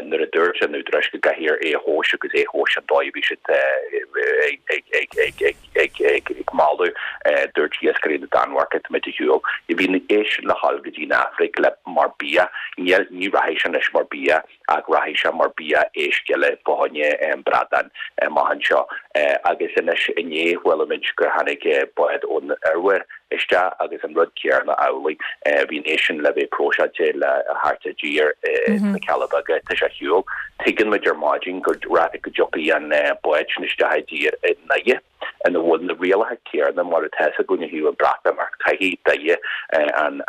nuair a dúirt an údarás go gcaithfear é a thomhas agus é a thomhas an dóigh a bhí siad ag ag ag ag ag ag ag moladh dúirt iascairí na Danmhairge táimid ar shiúl. Bhí na. éisc le dhul go dtí an Afraic le mar bia, níl, ní rachaidh sé anois mar bia ach rachaidh sé mar bia éisc eile fá choinne bradán amach anseo. Agus anois inné chuala muid gur tháinig bád ón Ioruaidh isteach agus an rud céarna amhlaidh. Bhí an éisc sin le bheith próiseáilte le theacht i dtír sna Cealla Beaga. Tá sé ar shiúl. Tuigeann muid ar maidin go dtiocfaidh an bád sin isteach i dtír i nDoire. ina bhfuil na rialacha céarna mar atá againn ó thaobh an Bhreatimeacht, caithfidh Doire an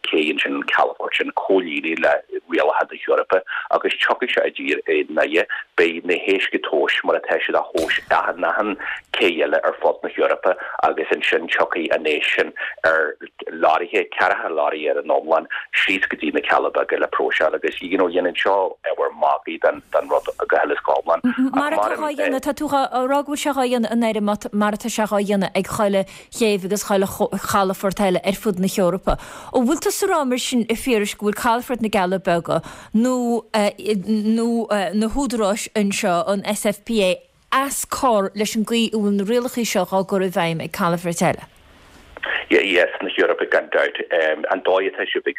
cé ansin, an calafort sin, comhlíonadh le rialacha na hEorpa agus tiocfaidh sé i dtír i nDoire. Beidh na héisc á dtomhas mar atá siad á thomhas in achan cé eile ar fud na hEorpa agus ansin tiocfaidh an éisc sin ar leoraithe, ceathracha leoraí ar an iomlán, síos go dtí na Cealla Beaga le próiseáil agus you know dhéanann seo ábhar magaidh den den rud go huile is go hiomlán. Mar atá dhá dhéanamh, tá tú á rá go bhfuil sé dhá dhéanamh in Éirinn mar atá sé dhá dhéanamh ag chuile chéibh agus chuile chalafort eile ar fud na hEorpa. An bhfuil tusa ag rá mar sin, a Phiarais, go bhfuil calafort na gCealla Beaga nó nó na húdaráis anseo, an SFPA, as cor leis an gcaoi a bhfuil na rialacha seo dhá gcur i bhfeidhm ag calafoirt eile? Yes, na hEorpa gan dabht. An dóigh atá siad ag,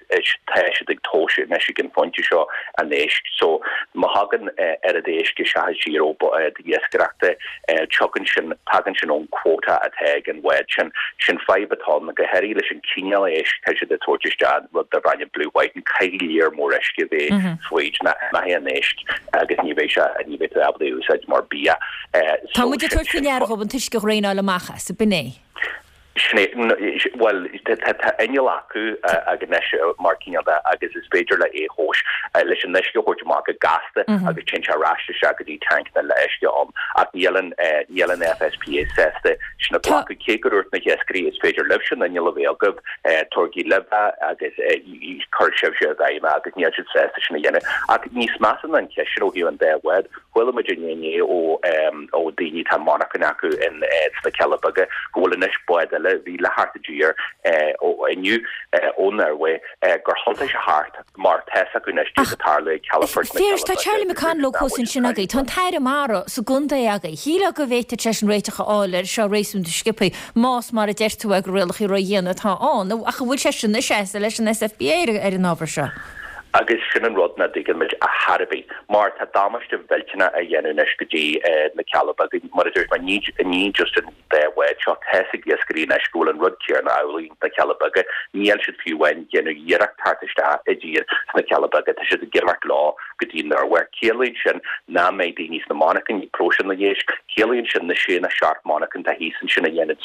tá siad ag tomhas anois ag an phointe seo an éisc. So, má thagann oiread éisc isteach i dtír ó bhád iascaireachta, tiogann sin, tagann sin ón quota atá ag an bhád sin. Sin fadhb atá ann, go háirithe leis an cineál éisc atá siad ag tabhairt isteach, rud darb ainm blue whiting, caithfidh léar mór uisce a bheith fríd nó imeoidh an éisc agus ní bheidh sé, ní bheidh tú ábalta é a úsáid mar bia. Tá muid ag tabhairt faoi ndeara dhóibh an t-uisce a dhraenáil amach as, ab in é? Sin é, bhuel, tá inneall acu anois mar cineál de agus is féidir le é thomhas, leis an uisce a thabhairt amach go gasta agus téann sé ar ais isteach go dtí tancanna le uisce ann ach níl an, níl an FSPA sásta sin a ghlacadh. Cé go dúirt na hiascairí is féidir libhse an inneall a bheith agaibh, tabhairigí libh é agus cuir sibhse i bhfeidhm é agus níl siad sásta sin a dhéanamh. Ach níos measa ná an cheist sin ó thaobh an dá bhád, Chuala muid inné ó ó daoine atá monarchain acu in sna Cealla Beaga go bhfuil anois bád eile a bhí le theacht i dtír ó inniu ón Ioruaidh gur thiontaigh sé thart mar tá's acu anois céard atá ag tarlú ag calafort na Gcealla Beaga. Tá Charlie McConalogue thuas ansin agaibh. Tá an tAire Mara sa gcontae agaibh. Shílfeá go bhféadfadh seisean réiteach a fháil air seo réasúnta sciobtha más mar a deir tú é gur rialacha ródhiana atá ann. Ach an bhfuil seisean ag seasamh leis an SFPA ar an ábhar seo? Agus sin an rud nach dtuigeann muid ar chor ar bith, mar tá damáiste mhillteanach á dhéanamh anois go dtí na Cealla Beaga, mar a dúirt mé, ní ní just an dá bhád seo, tá's ag iascairí anois go bhfuil an rud céanna amhlaidh sna Cealla Beaga, níl siad fiú amháin ag déanamh iarracht teacht isteach i dtír sna Cealla Beaga, tá siad ag imeacht leo go dtí an Ioruaidh. Ciallaíonn sin nach mbeidh daoine sna monarchain ag próiseáil na n-éisc, ciallaíonn sin na sé nó seacht monarchain atá thíos ansin a dhéanann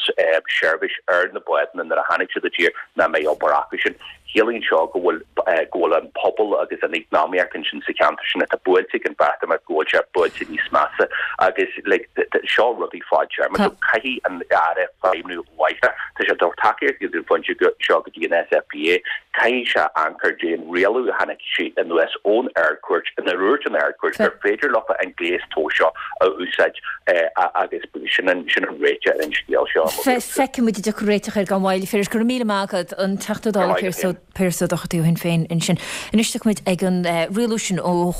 seirbhís ar na bádanna nuair a tháinig siad i dtír, nach mbeidh obair acu sin. Ciallaíonn seo go bhfuil go bhfuil an pobal agus an eacnamaíocht ansin sa cheantar sin atá buailte ag an Bhreatimeacht go bhfuil sé buailte níos measa agus like seo rudaí fadtéarma so caithfidh an Aire feidhmiú láithreach. Tá sé ag tabhairt tacaíocht ag an phointe seo go dtí an SFPA. Caithfidh sé amharc ar an rialú a tháinig sí anuas ón Ard-Chúirt ina ndúirt an Ard-Chúirt gur féidir leofa an gléas tomhais seo a úsáid agus sin an sin an réiteach ar an scéal seo. Feicfidh muid an dtiocfaidh réiteach air gan mhoill. Phiarais, go raibh míle maith agat, an Teachta Dála Pearse Ó Dochartaigh ó Shinn Féin ansin. Anois tiocfaidh muid ag an rialú sin ó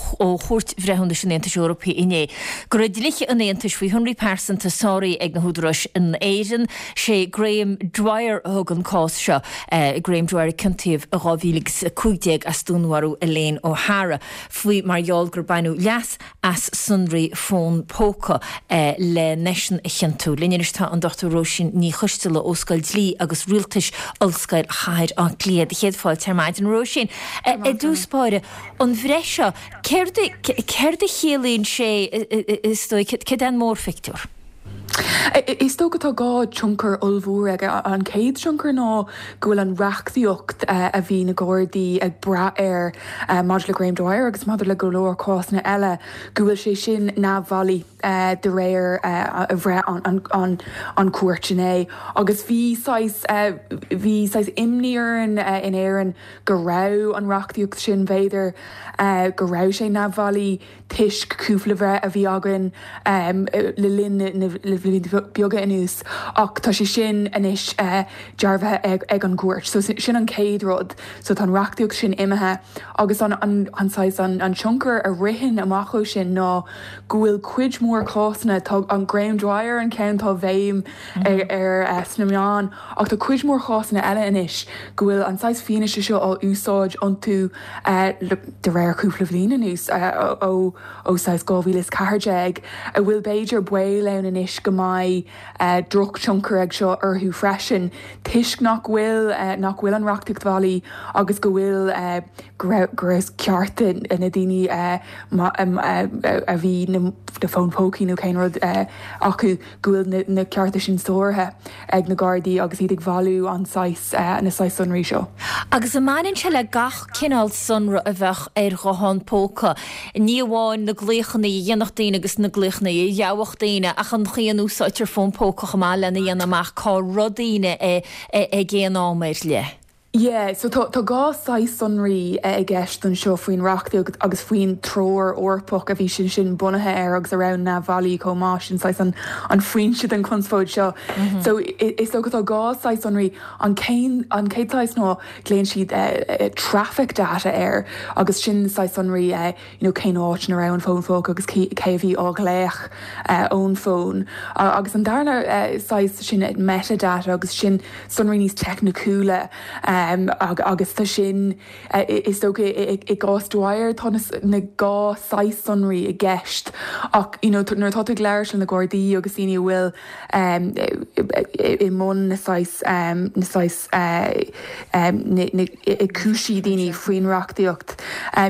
Chúirt Bhreithiúnais an Aontais Eorpaigh inné go raibh dlíthe an Aontais faoi shonraí pearsanta sáraithe ag na húdaráis in Éirinn. Sé Graham Dwyer a thug an cás seo, Graham Dwyer a ciontaíodh i 2015 as dúnmharú Elaine O'Hara faoi mar gheall gur baineadh leas as sonraí fón póca len eisean a chiontú. Linn anois tá an Dr Róisín Ní Choisteala ó Scoil Dlí agus Rialtais Ollscoil Chathair Átha Cliath. Do chéad fáilte ar maidin, a Róisín. I dtús báire, an bhreith seo, céard céard a chiallaíonn sé is dóigh, céard é an mórphictiúr? Is dócha tá dhá tionchar ollmhór aige. An chéad tionchar ná go bhfuil an reachtaíocht a bhí na Gardaí ag brath air maidir le Graham Dwyer agus maidir le go leor cásanna eile, go bhfuil sé sin neamhbhailí de réir bhreith an chúirt inné. Agus bhí saghas, bhí saghas imní orainn in Éirinn go raibh an reachtaíocht sin, b'fhéidir, go raibh sé neamhbhailí. toisc cúpla bhreith a bhí againn le linn na. blianta beaga anuas ach tá sé sin anois dearbhaithe ag an gcúirt. So sin an chéad rud. So tá an reachtaíocht sin imithe agus an an saghas an tionchar a ritheann amach ó sin ná go bhfuil cuid mhór cásanna, tá an Graham Dwyer an ceann atá béim air sna meáin ach tá cuid mhór cásanna eile anois go bhfuil an saghas fianaise seo á úsáid iontu de réir cúpla bhliain anuas ó ó saghas 2014 a bhfuil b'fhéidir baol ann anois go mbeidh drochthionchar ag seo orthu freisin toisc nach bhfuil nach bhfuil an reachtaíocht bhailí agus go bhfuil go raibh go raibh cearta na daoine a bhí na fóin pócaí nó cén rud acu go bhfuil na cearta sin sáraithe ag na Gardaí agus iad ag bailiú an saghas, na saghas sonraí seo. Agus an mbaineann sé le gach cineál sonra a bheadh ar ghuthán póca, ní amháin na glaochanna a dhéanfadh daoine agus na glaochanna a gheobhadh daoine, ach an chaoi a n-úsáidtear fón póca chomh maith lena dhéanamh amach cá raibh daoine ag aon am ar leith? Yeah, so tá tá dhá saghas sonraí i gceist anseo faoin reachtaíocht agus faoin treoir Eorpach a bhí sin sin bunaithe air agus a raibh neamhbhailí chomh maith, sin saghas an an foinse den chonspóid seo. So is dócha tá dhá saghas sonraí, an céan an chéad saghas ná glaonn siad traffic data air agus sin saghas sonraí you know cén áit ina raibh an fón phóca agus cé a bhí á ghlaoch ón bhfón. Agus an darna saghas sin metadata agus sin sonraí níos teicniciúla agus tá sin is dócha i gcás Dwyer tá na dhá saghas sonraí i gceist ach you know nuair atá tú ag labhairt le na Gardaí agus daoine a bhfuil i mbun na saghas na saghas na ag cúisí daoine faoin reachtaíocht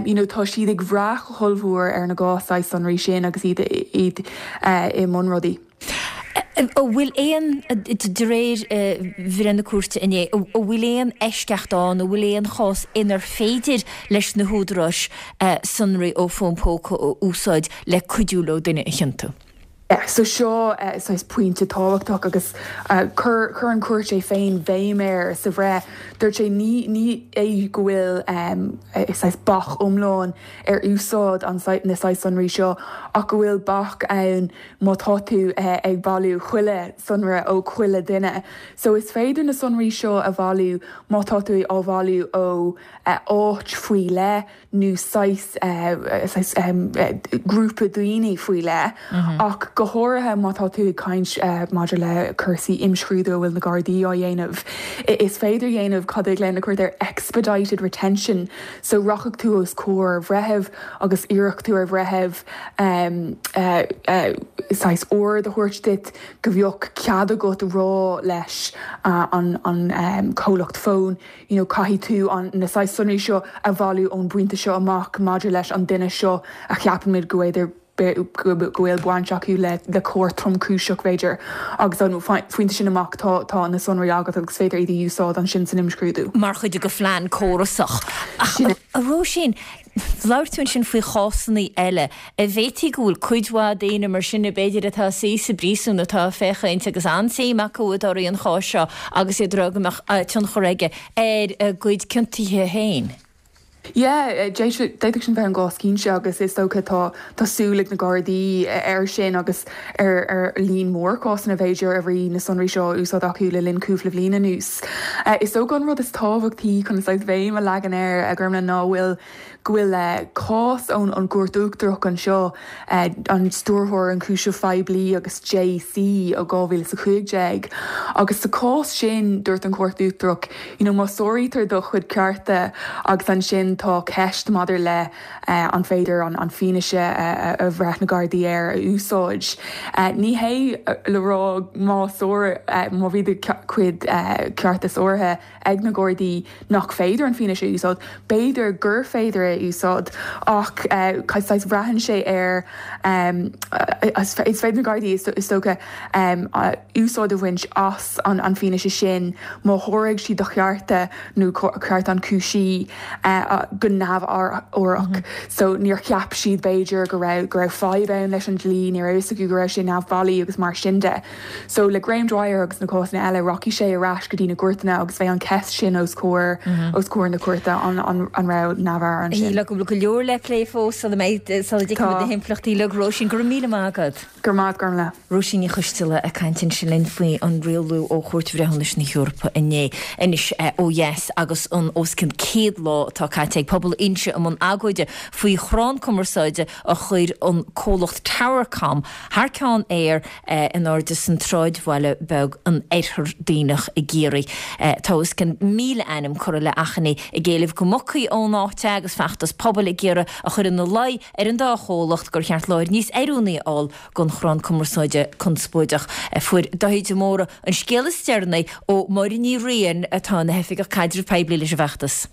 you know tá siad ag bhrath go hollmhór ar na dhá saghas sonraí sin agus iad iad i mbun rudaí. An bhfuil aon, de réir bhreith na cúirte inné, an bhfuil aon eisceacht ann, an bhfuil aon chás inar féidir leis na húdaráis sonraí ó fón póca a úsáid le cuidiú leo duine a chiontú? Yeah, so seo saghas pointe tábhachtach agus chuir, chuir an chúirt é féin béim air sa bhreith. Dúirt sé ní, ní é go bhfuil saghas bac iomlán ar úsáid an, na saghas sonraí seo ach go bhfuil bac ann má tá tú ag bailiú chuile sonra ó chuile duine. So is féidir na sonraí seo a bhailiú má tá tú á bhailiú ó áit faoi leith nó saghas, saghas grúpa daoine faoi leith, ach go háirithe má tá tú ag caint maidir le cúrsaí imscrúdú a bhfuil na Gardaí á dhéanamh. Is féidir dhéanamh cad a ghlaonn na cúirt air expedited retention, so rachaidh tú os comhair bhreithimh agus iarrfaidh tú ar bhreitheamh saghas ord a thabhairt duit go bheadh cead agat rá leis an comhlacht fóin you know caithfidh tú an, na saghas sonraí seo a bhailiú ón bpointe seo amach maidir leis an duine seo a cheapaimid go bhféidir go bhfuil baint acu le le coir tromchúiseach b'fhéidir agus ón phointe sin amach tá tá na sonraí agat agus féidir iad a úsáid ansin san imscrúdú. mar chuid de phlean córasach. Ach a Róisín, Labhair tú ansin faoi chásanna eile. An bhféadfaí go bhfuil cuid mhaith daoine mar sin, b'fhéidir, atá ag suí sa bpríosún atá ag féachaint agus an-suim acu i dtorthaí an cháis seo agus iad ag rá go mbeadh tionchar aige ar a gcuid ciontuithe féin. Yeah, d'fhéadfadh sin bheith an gcás cinnte agus is dócha tá tá súil ag na Gardaí air sin agus ar ar líon mór cásanna b'fhéidir a bhí na sonraí seo á úsáid acu le linn cúpla bhliain anuas. Is dócha an rud is tábhachtaí chun saghas bhéim a leagan air, a Ghormlaith, ná bhfuil go bhfuil cás ón an gCúirt Uachtarach anseo, an Stiúrthóir Ionchúiseamh Phoiblí agus JC ó 2015, agus sa chás sin dúirt an Chúirt Uachtarach, you know má sáraítear do chuid cearta agus ansin tá ceist maidir le an féidir an fianaise a bhraith na Gardaí air a úsáid. Ní hé le rá má má bhí do chuid cearta sáraithe ag na Gardaí nach féidir an fianaise a úsáid, b'fhéidir gur féidir é a úsáid ach saghas braitheann sé ar is féidir na Gardaí is dócha úsáid a bhaint as an fianaise sin má sháraigh siad do chearta nó cearta an chúisí. go neamhfhabhrach. So níor cheap siad b'fhéidir go raibh go raibh fadhb ann leis an dlí, ní raibh fhios acu go raibh sé neamhbhailí agus mar sin de. So le Graham Dwyer agus na cásanna eile rachaidh sé ar ais go dtí na gcúirteanna agus beidh an cheist sin os comhair os comhair na cúirte an an an raibh neamhfhabhar ansin. Go bhfuil go leor le plé fós sula mbeidh sula dtuigfimid na himpleachtaí uilig. Róisín, go raibh míle maith agat. Go raibh maith agat, Gormlaith. Róisín Ní Choisteala ag caint ansin linn faoi an rialú ó Chúirt Bhreithiúnais na hEorpa inné. Anois ó dheas agus an os cionn 100 lá atá caite ag pobal Inse i mbun agóide faoi chrann cumarsáide a chuir an comhlacht Towercom thar ceann Eir in airde san tsráidbhaile beag in Oirthear Duibhneach i gCiarraí. Tá os cionn 1,000 ainm curtha le achainí ag éileamh go mbogfaí ón áit é agus feachtas pobail ag iarraidh a chur ina luí ar an dá chomhlacht gur cheart láthair níos oiriúnaí a fháil don chrann cumarsáide conspóideach. Fuair Dáithí de Mórdha an scéal is deireanaí ó Mháire Ní Riain atá ina hOifigeach Caidrimh Poiblí leis an bhfeachtas.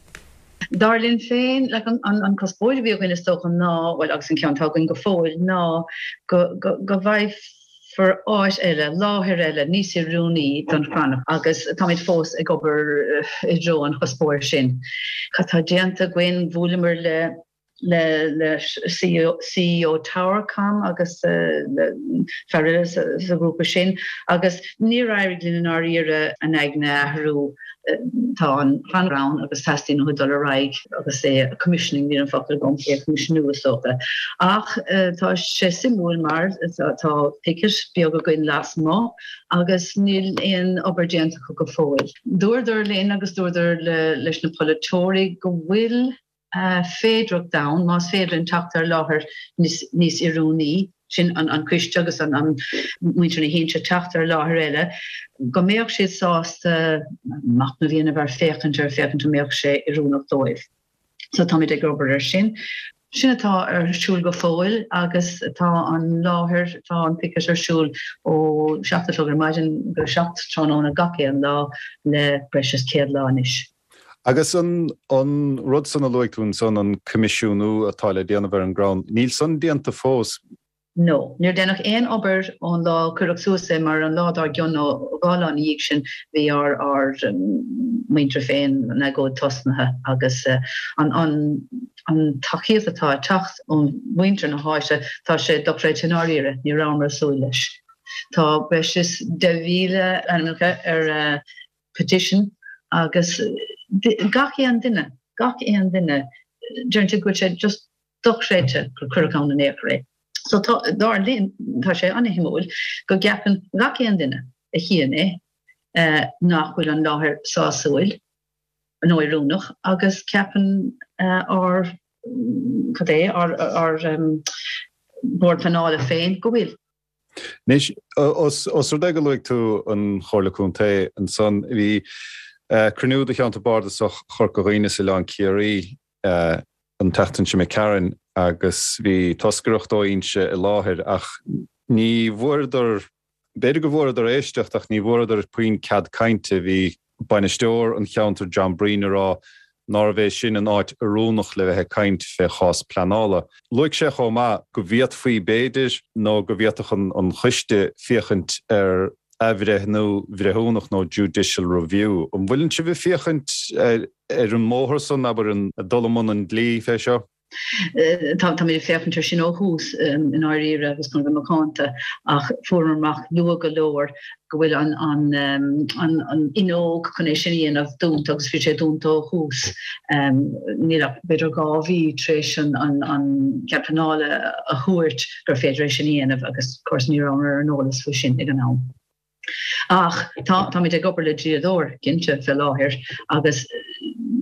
Dar linn féin, like, an, an, an cuspóir a bhí againn is dócha ná, bhuel agus an ceann atá againn go fóill, ná go, go, go bhfaighfear áit eile, láthair eile níos oiriúnaí don chrann agus táimid fós ag obair i dtreo an chuspóir sin. Cad tá déanta againn? Bhuaileamar le le CEO Towercom agus le fear eile sa ghrúpa sin agus níor éirigh linn i ndáiríre a n-aigne a athrú. Tá an crann ann agus teastaíonn uathu dul ar aghaidh agus é a commissioning, níl an focal agam, é a choimisiúnú is dócha. Ach tá sé suimiúil mar tá picket beag againn lasmuigh agus níl aon obair déanta acu go fóill. Dúradar linn agus dúradar leis na polaiteoirí go bhfuil féidearthacht ann, más féidir linn teacht ar láthair níos oiriúnaí, sin an coiste agus an muintir na hInse, teacht ar láthair eile, go mbeadh siad sásta machnamh a dhéanamh air, féachaint air, féachaint an mbeadh sé oiriúnach dóibh. So táimid ag obair air sin. Sin atá ar siúl go fóill agus tá an láthair, tá an picket ar siúl ó 7 a chlog ar maidin go 7 tráthnóna gach aon lá le breis is 100 lá anois. Agus an rud san a luaigh tú ansan, an coimisiúnú atá le déanamh ar an gcrann, níl san déanta fós? No. Níor deineadh aon obair ón lá a cuireadh suas é mar an lá dár gcionn nó dhá lá ina dhiaidh sin bhí ár ár muintir féin, an agóid tosnaithe agus an an an tacaíocht atá ag teacht ó mhuintir na háite tá sé dochreidte i ndáiríre, ní rabhamar ag súil leis. Tá breis is 10,000 ainmneacha ar petition agus gach aon duine, gach aon duine, deireann siad go bhfuil sé just dochreidte gur cuireadh ann in aon chor é. So tá, dar linn, tá sé an-shuimiúil go gceapann gach aon duine a chíonn é nach bhfuil an láthair sásúil nó oiriúnach agus ceapann ár, cad é, ár, ár Bord Pleanála féin go bhfuil. Anois, os rud é go luaigh tú an Chomhairle Contae ansan, bhí cruinniú de Cheantar Bardasach Chorca Dhuibhne is Oileán Ciarraí an tseachtain seo imigh tharainn agus bhí toscaireacht ó Inse i láthair ach ní bhfuaireadar, b'fhéidir go bhfuaireadar éisteacht ach ní bhfuaireadar puinn cead cainte. Bhí bainisteoir an cheantair John Breen ag rá nárbh é sin an áit oiriúnach le bheith ag caint fé chás pleanála. Luaigh sé chomh maith go bhféadfaí b'fhéidir nó go bhféadfadh an choiste féachaint ar athbhreithniú bhreithiúnach nó judicial review. An bhfuileann sibh ag féachaint ar an mbóthar san, abair, an dul i mbun an dlí fé seo? Táimid ag féachaint air sin ó thús i ndáiríre agus chun a bheith macánta ach fuaireamar amach luath go leor go bhfuil an fhuinneog chun é sin a dhéanamh dúnta agus bhí sé dúnta ó thús. Níl ach b'fhéidir 2 mhí tar éis an cead pleanála a thabhairt gur féidir é sin a dhéanamh agus of course ní rabhamar ar an eolas faoi sin ag an am. Ach tá, táimid ag obair le dlíodóir, cinnte, fé láthair agus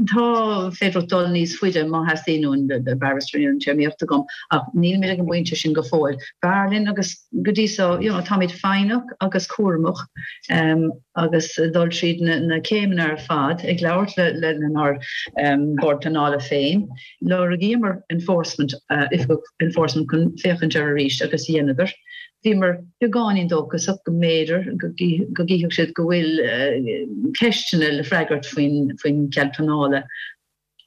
tá féidearthacht dul níos faide má theastaíonn uainn, le barrister, níl an téarmaíocht agam, ach nílimid ag an bpointe sin go fóill. B'fhearr linn agus go dtí so, you know, táimid foighneach agus cúramach agus dul tríd na céimeanna ar fad, ag labhairt le lenár Bord Pleanála féin. Lorgaíomar enforcement, oifigeach enforcement chun féachaint air arís agus dheineadar. Bhíomar beagáinín dóchasach go mb'fhéidir go gcífeadh siad go bhfuil ceisteanna le freagairt faoin chead pleanála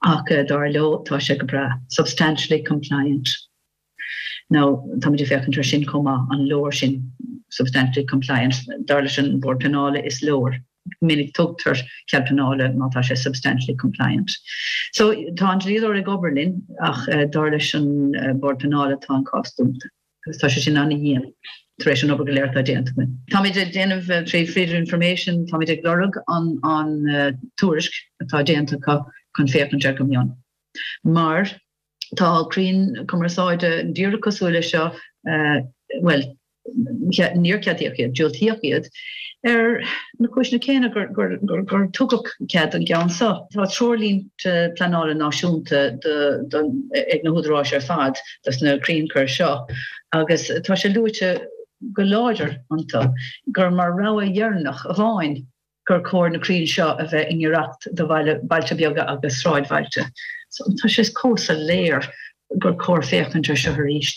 ach dar leo tá sé go breá, substantially compliant. Now táimid ag féachaint air sin chomh maith, an leor sin, substantially compliant, dar leis an Bhord Pleanála is leor. Go minic tugtar cead pleanála má tá sé substantially compliant. So tá an dlíodóir ag obair linn ach dar leis an Bord Pleanála tá an cás dúnta agus tá sé sin an-dhian tar éis an obair go léir atá déanta againn. Táimid ag déanamh trí Freedom of Information, táimid ag lorg an an tuairisc atá déanta acu chun féachaint air go mion. Mar tá crainn cumarsáide díreach cosúil leis seo, bhuel, níor ceadaíodh iad, diúltaíodh iad, ar na cúiseanna céanna gur tugadh cead don gceann seo. Tá treoirlínte pleanála náisiúnta ag na húdaráis ar fad dos na crannchuir seo agus tá sé luaite go láidir iontu gur mar rogha dheireanach amháin gur chóir na crainn seo a bheith i ngiorracht do bhailte beaga agus sráidbhailte. So tá sé chomh soiléir gur chóir féachaint ar seo arís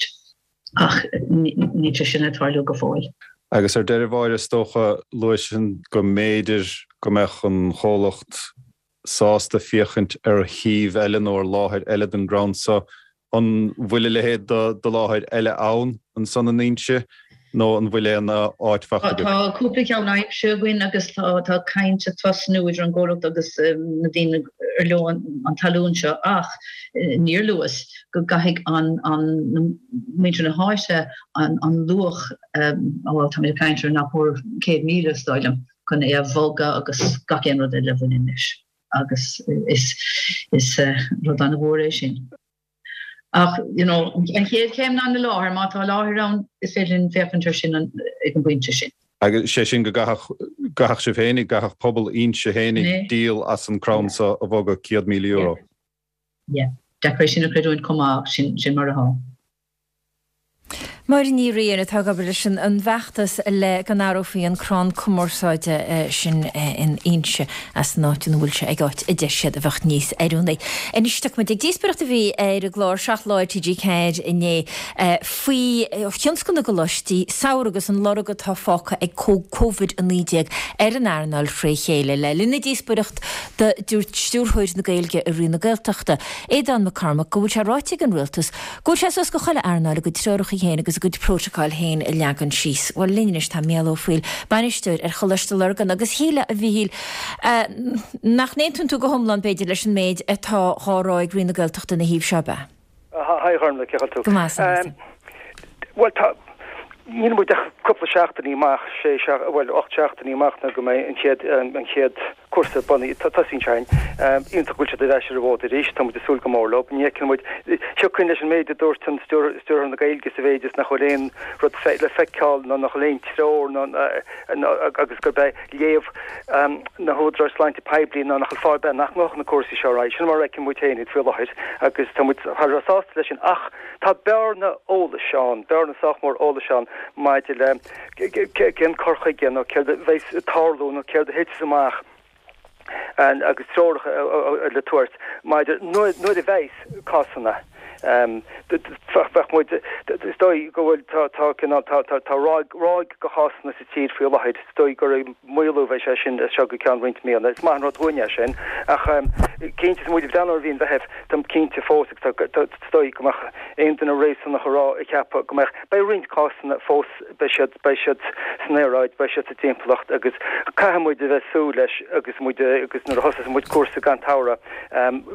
ach níl sé sin ag tarlú go fóill. Agus ar deireadh Mháire, is dócha, luaigh tú go mb'fhéidir go mbeadh an chomhlacht sásta féachaint ar shuíomh eile nó ar láthair eile don gcrann so. An bhfuil a leithéid de láthair eile ann ansan in Inse nó an bhfuil aon áit faighte agaibh? Tá cúpla ceann aimsithe againn agus tá caint ag tosnú idir an gcomhlacht agus na daoine ar leo an talún seo ach níor luas go gcaithfidh an muintir na háite an luach, bhuel táimid ag caint ar nach mór 100,000 is dóigh liom, chun é a bhogadh agus gach aon rud eile a bhaineann leis agus is is rud an-mhór é sin. Ach you know an chéad chéim ná na láthair, má tá láthair ann is féidir linn féachaint ar sin ag an bpointe sin. Agus sé sin go gcaithfeadh, gcaithfeadh sibh fhéinig, gcaithfeadh pobal Inse fhéinig díol as an crann so a bhogadh €100,000. Yeah. Deacair é sin a chreidiúint chomh maith ach sin, sin mar atá. Máire Ní Riain atá ag obair leis an bhfeachtas le go n-athrófaí an crann cumarsáide sin in Inse as an áit ina bhfuil sé ag áit a deir siad a bheadh níos oiriúnaí. Anois tiocfaidh muid ag díospóireacht a bhí ar an gclár 7 Lá ar TG4 inné faoi thionscal na gcoláistí samhraidh agus an lorg atá fágtha ag Covid-19 ar an earnáil fré chéile. Le linn na díospóireachta dúirt Stiúrthóir na Gaeilge i Roinn na Gaeltachta, Aodhán Mac Cormaic go bhfuil sé ráite ag an Rialtas Go bhfuil sé suas go chuile earnáil a gcuid treoracha féin agus a gcuid prótacáil féin a leagan síos. Bhuel, linn anois tá Mícheál Ó Foighil, bainisteoir ar Choláiste Lurgan agus shílfeá, a Mhíchíl, nach n-aontaíonn tú go hiomlán, b'fhéidir, leis an méid atá dhá rá ag Roinn na Gaeltachta ina thaobh seo, ab ea? Hi, a Ghormlaith, cén chaoi a bhfuil tú? Go maith, san. Bhuel, tá, níl muid ach cúpla seachtainí amach, sé, bhuel, 8 seachtainí amach nó go mbeidh an chéad, an chéad, cúrsa bunaithe. Tosaíonn sé. Iontach go bhfuil siad ar ais ar an bhfód arís. Tá muid ag súil go mór leo. Ní fheiceann muid. Thiocfainn leis an méid a dúirt an Stiúrthóir na Gaeilge sa mhéid is nach bhfuil aon rud le feiceáil nó nach bhfuil aon treoir nó agus gurb é léamh na hÚdaráis Sláinte Poiblí ná nach bhfuil fáth ar bith nach ngabhfadh na cúrsaí seo ar aghaidh. Sin mar a fheiceann muid féin iad faoi láthair agus tá muid thar a bheith sásta leis sin. Ach tá bearna eolais ann, bearna sách mór eolais ann maidir le cén cur chuige nó céard a bheas ag tarlú nó céard a thitfeas amach agus treoracha le tabhairt maidir nuair a bheas cásanna. Bheadh muid, is dóigh go bhfuil, tá, tá cineál, tá, tá, tá ráig, ráig de chásanna sa tír faoi láthair, is dóigh gur ag maolú a bheidh sé sin as seo go ceann roinnt míonna. Is maith an rud dhúinn é sin ach cinnte is muid ag breathnú ar mhí an Mheithimh, táim cinnte fós agus tá, is dóigh go mbeadh aon duine réasúnach ag rá, ag ceapadh go mbeadh, beidh roinnt cásanna fós. beidh siad, beidh siad san aeráid, beidh siad sa timpeallacht agus caithfidh muid a bheith ag súil leis agus muid, agus nuair a thosós muid cúrsa gan tsamhradh,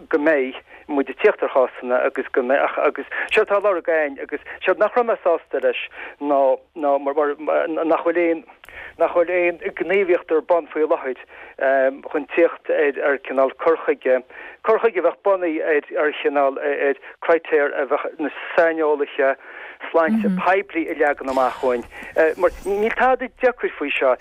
go mbeidh muid ag tíocht ar chásanna agus go mbeidh, ach, agus séard atá á lorg againn agus séard nach raibh mé sásta leis ná, ná mar, mar, nach bhfuil aon, nach bhfuil aon ghníomhaíocht ar bun faoi láthair chun tíocht ar, ar cineál cur chuige, cur chuige a bheadh bunaithe ar, ar chineál, ar critéir a bheadh na saineolaithe, sláinte poiblí a leagan amach dhúinn, mar níl tada deacair faoi seo.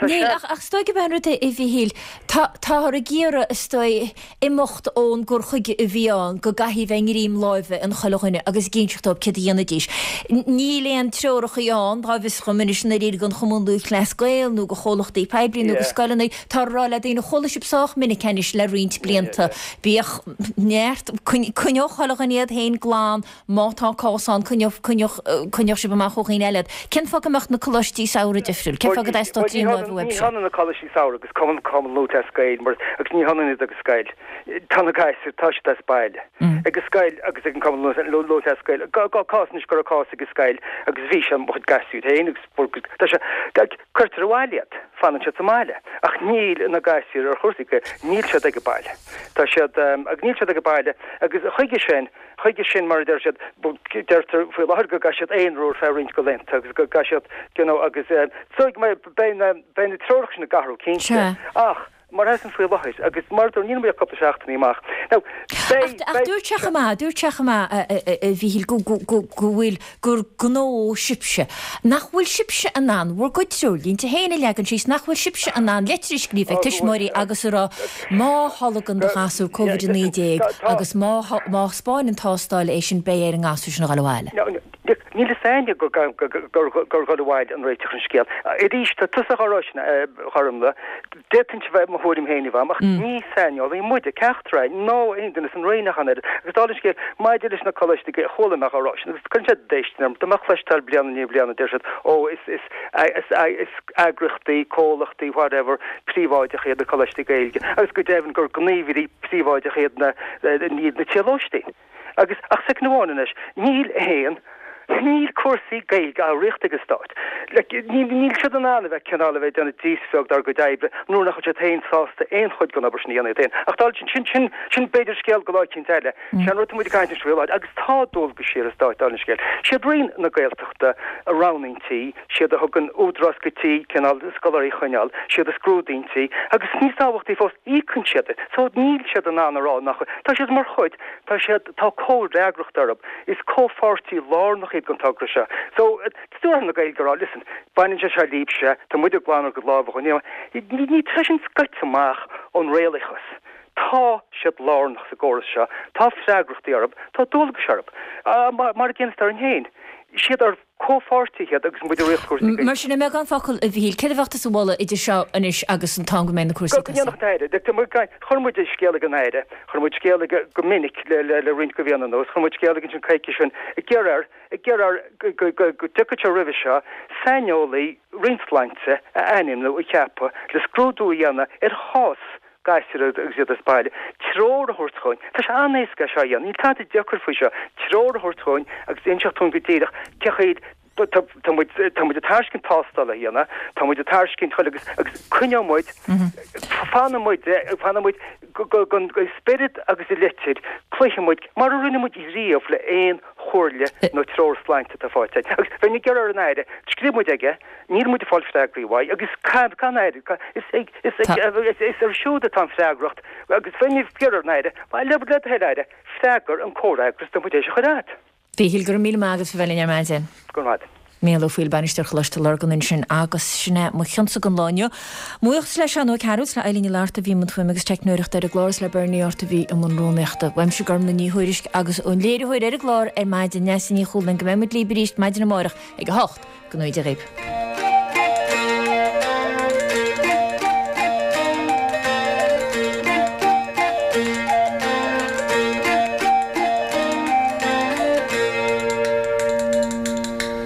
Níl, ach is dóigh gurb é an rud é, a Mhíchíl, táthar ag iarraidh, is dóigh, imeacht ón gcur chuige a bhí ann go gcaithfidh a bheith i ngreim láimhe ag chuile dhuine agus ag inseacht dóibh céard a dhéanfaidís. Níl aon treorachaí ann, dá bhfios dhom anois i ndáiríre don Chumann Lúthchleas Gael nó do chomhlachtaí poiblí nó do scoileanna, táthar ag rá le daoine, chuala sibh sách minic anois le roinnt blianta, bíodh neart, coinneodh chuile dhuine iad féin glan, Má tá cás ann, coinneodh. Coinneodh, coinneodh sibh amach ó dhaoine eile iad. Cén fáth go mbeadh na coláistí samhraidh difriúil? Cén fáth go dteastódh Ní trí láimhe ní uaibhse? hionann na coláistí samhraidh agus Cumann, Cumann Lúthchleas Gael mar, agus ní hionann iad agus scoil. Tá na gasúir, tá siad as baile. Ag an scoil agus ag an Cumann Lúthchleas Gael. Cás anois go raibh cás ag an scoil agus bhí sé mo chuid gasúir féin agus tá sé, cuirtear abhaile iad, fanann siad sa mbaile. Ach níl na gasúir ar chúrsaí, níl siad ag an baile. Tá siad, agus níl siad ag an baile agus chuige sin, chuige sin mar a deir siad, deirtear faoi láthair go gcaithfidh siad aonrú ar feadh roinnt de laethanta agus go gcaithfidh siad, you know, agus so beidh na, beidh na treoracha sin ag athrú cinnte. Ach. Mar atá faoi láthair, agus mar a dúirt, níl muid ach cúpla seachtainí amach. Now, beidh, Ach dúirt sé chomh maith, dúirt sé chomh maith, a Mhíchíl, go, go, go, go bhfuil, gur gnó sibhse. Nach bhfuil sibhse in ann bhur gcuid treoirlínte féin a leagan síos, nach bhfuil sibhse in ann leitir a scríobh ag tuismitheoirí agus a rá má tholgann do ghasúr Covid-19 agus má, má thaispeáin an tástáil é sin beidh ar an ngasúr sin a dhul abhaile. Níl fhios a'inne gur dhul abhaile an réiteach ar an scéal. Arís, tá tusa dhá rá sin, a Ghormfhlaith, D'fhéadfainnse bheith mo thuairim féin a bheith agam, ach ní saineolaí muide, ceachtar againn, ná aon duine san Roinn ach an oiread. Agus dála an scéil, maidir leis na coláistí Gaeilge, chuala mé dhá rá sin, agus cuireann sé déistin orm, tá mé á chloisteáil bliain i ndiaidh bliana, deir siad, ó, is, is, is, is eagraíochtaí, comhlachtaí, whatever, príobháideacha iad na coláistí Gaeilge, agus go deimhin gur gníomhairí príobháideacha iad na, iad na tithe lóistín. Agus, ach soicind amháin anois, níl aon, níl cúrsaí Gaeilge á ritheacht ag an Stát. Like, níl, níl siad in ann a bheith cineál a bheith ag déanamh díspeag dár gcuid oibre nuair nach bhfuil siad féin sásta aon chuid den obair sin a dhéanamh iad féin. Ach dála sin, sin, sin, sin b'fhéidir scéal go lá eicínt eile. Sé an rud atá muid ag caint anois faoi láthair, agus tá dualgaisí ar an Stát dála an scéil. Siad Roinn na Gaeltachta a roghnaíonn tí, siad a thugann údarás go tí cineál scoláirí a choinneáil, siad a scrúdaíonn tí, agus níos tábhachtaí fós, íocann siad. So níl siad in ann a rá nach, tá siad mar chuid, Tá siad, tá comhfhreagracht orthu. Is comhpháirtí lárnach iad den togra seo. So, Stiúrthóir na Gaeilge a rá, listen, baineann sé seo libhse, tá muid ag glanadh ár gcuid lámha dhó. Ní, ní, tá sin scoite amach ón réalachas. Tá siad lárnach sa gcóras seo, tá freagrachtaí orthu, tá dualgais orthu. Mar a gcéanna is orainn féin. Siad ár comhpháirtithe iad agus muid ag ritheacht cúrsaí Gaeilge. Mar sin, i mbeagán focal, a Mhichíl, céard a bheadh tusa a mholadh idir seo anois agus an t-am go mbeidh na cúrsaí ag tosú? Go ndéanfadh an tAire. Chuir muid scéal ag an Aire, chuir muid scéal aige go minic le roinnt de mhíonna anuas, chuir muid scéal aige ansin coicís ó shin ag iarraidh air, ag iarraidh air go dtiocfadh sé roimhe seo saineolaí Roinn Sláinte a ainmniú, a cheapadh le scrúdú a dhéanamh ar chás gasúir agus iad as baile, treoir a thabhairt dhúinn. Tá sé an-éasca é seo a dhéanamh, níl tada deacair faoi seo, treoir a thabhairt dhúinn agus inseacht dúinn go díreach cé chaoi tá tá muid tá muid ag tairiscint tástáil a dhéanamh, tá muid ag tairiscint chuile agus agus coinneoidh muid, fanfaidh muid fanfaidh muid go go go i spiorad agus i litir, cloífidh muid mar a rinne muid riamh le aon chomhairle nó treoir sláinte atá faighte againn. Agus bheinn ag iarraidh ar an Aire, scríobh muid aige, Níl muid ag fáil freagraí uaidh agus an Aire, is ag, is ag, is air siúd atá an freagracht agus bheinn ag iarraidh ar an Aire, le do thoil Aire, freagair an comhfhreagras atá muid théis a chur agat. Mhíchíl, go raibh míle maith agat as a bheith linn ar maidin. Go raibh maith agat. Mícheál Ó Foighil, Bainisteoir Choláiste Lurgan ansin agus sin é mo chionnsa don lá inniu. Mo bhuíochas le Seán Ó Cearúil is le Eileen Ní Fhlatharta a bhí i mbun fuaime agus teicneoireachta ar an gclár is le Bernie Art a bhí i mbun rúnaíochta. Uaimse Gormlaith Ní Thuairisg agus ón léiritheoir ar an gclár ar maidin, Neasa Ní Chualáin, go mbeidh muid libh arís maidin amárach ag a hocht. Go ngnóthaí Dia dhaoibh.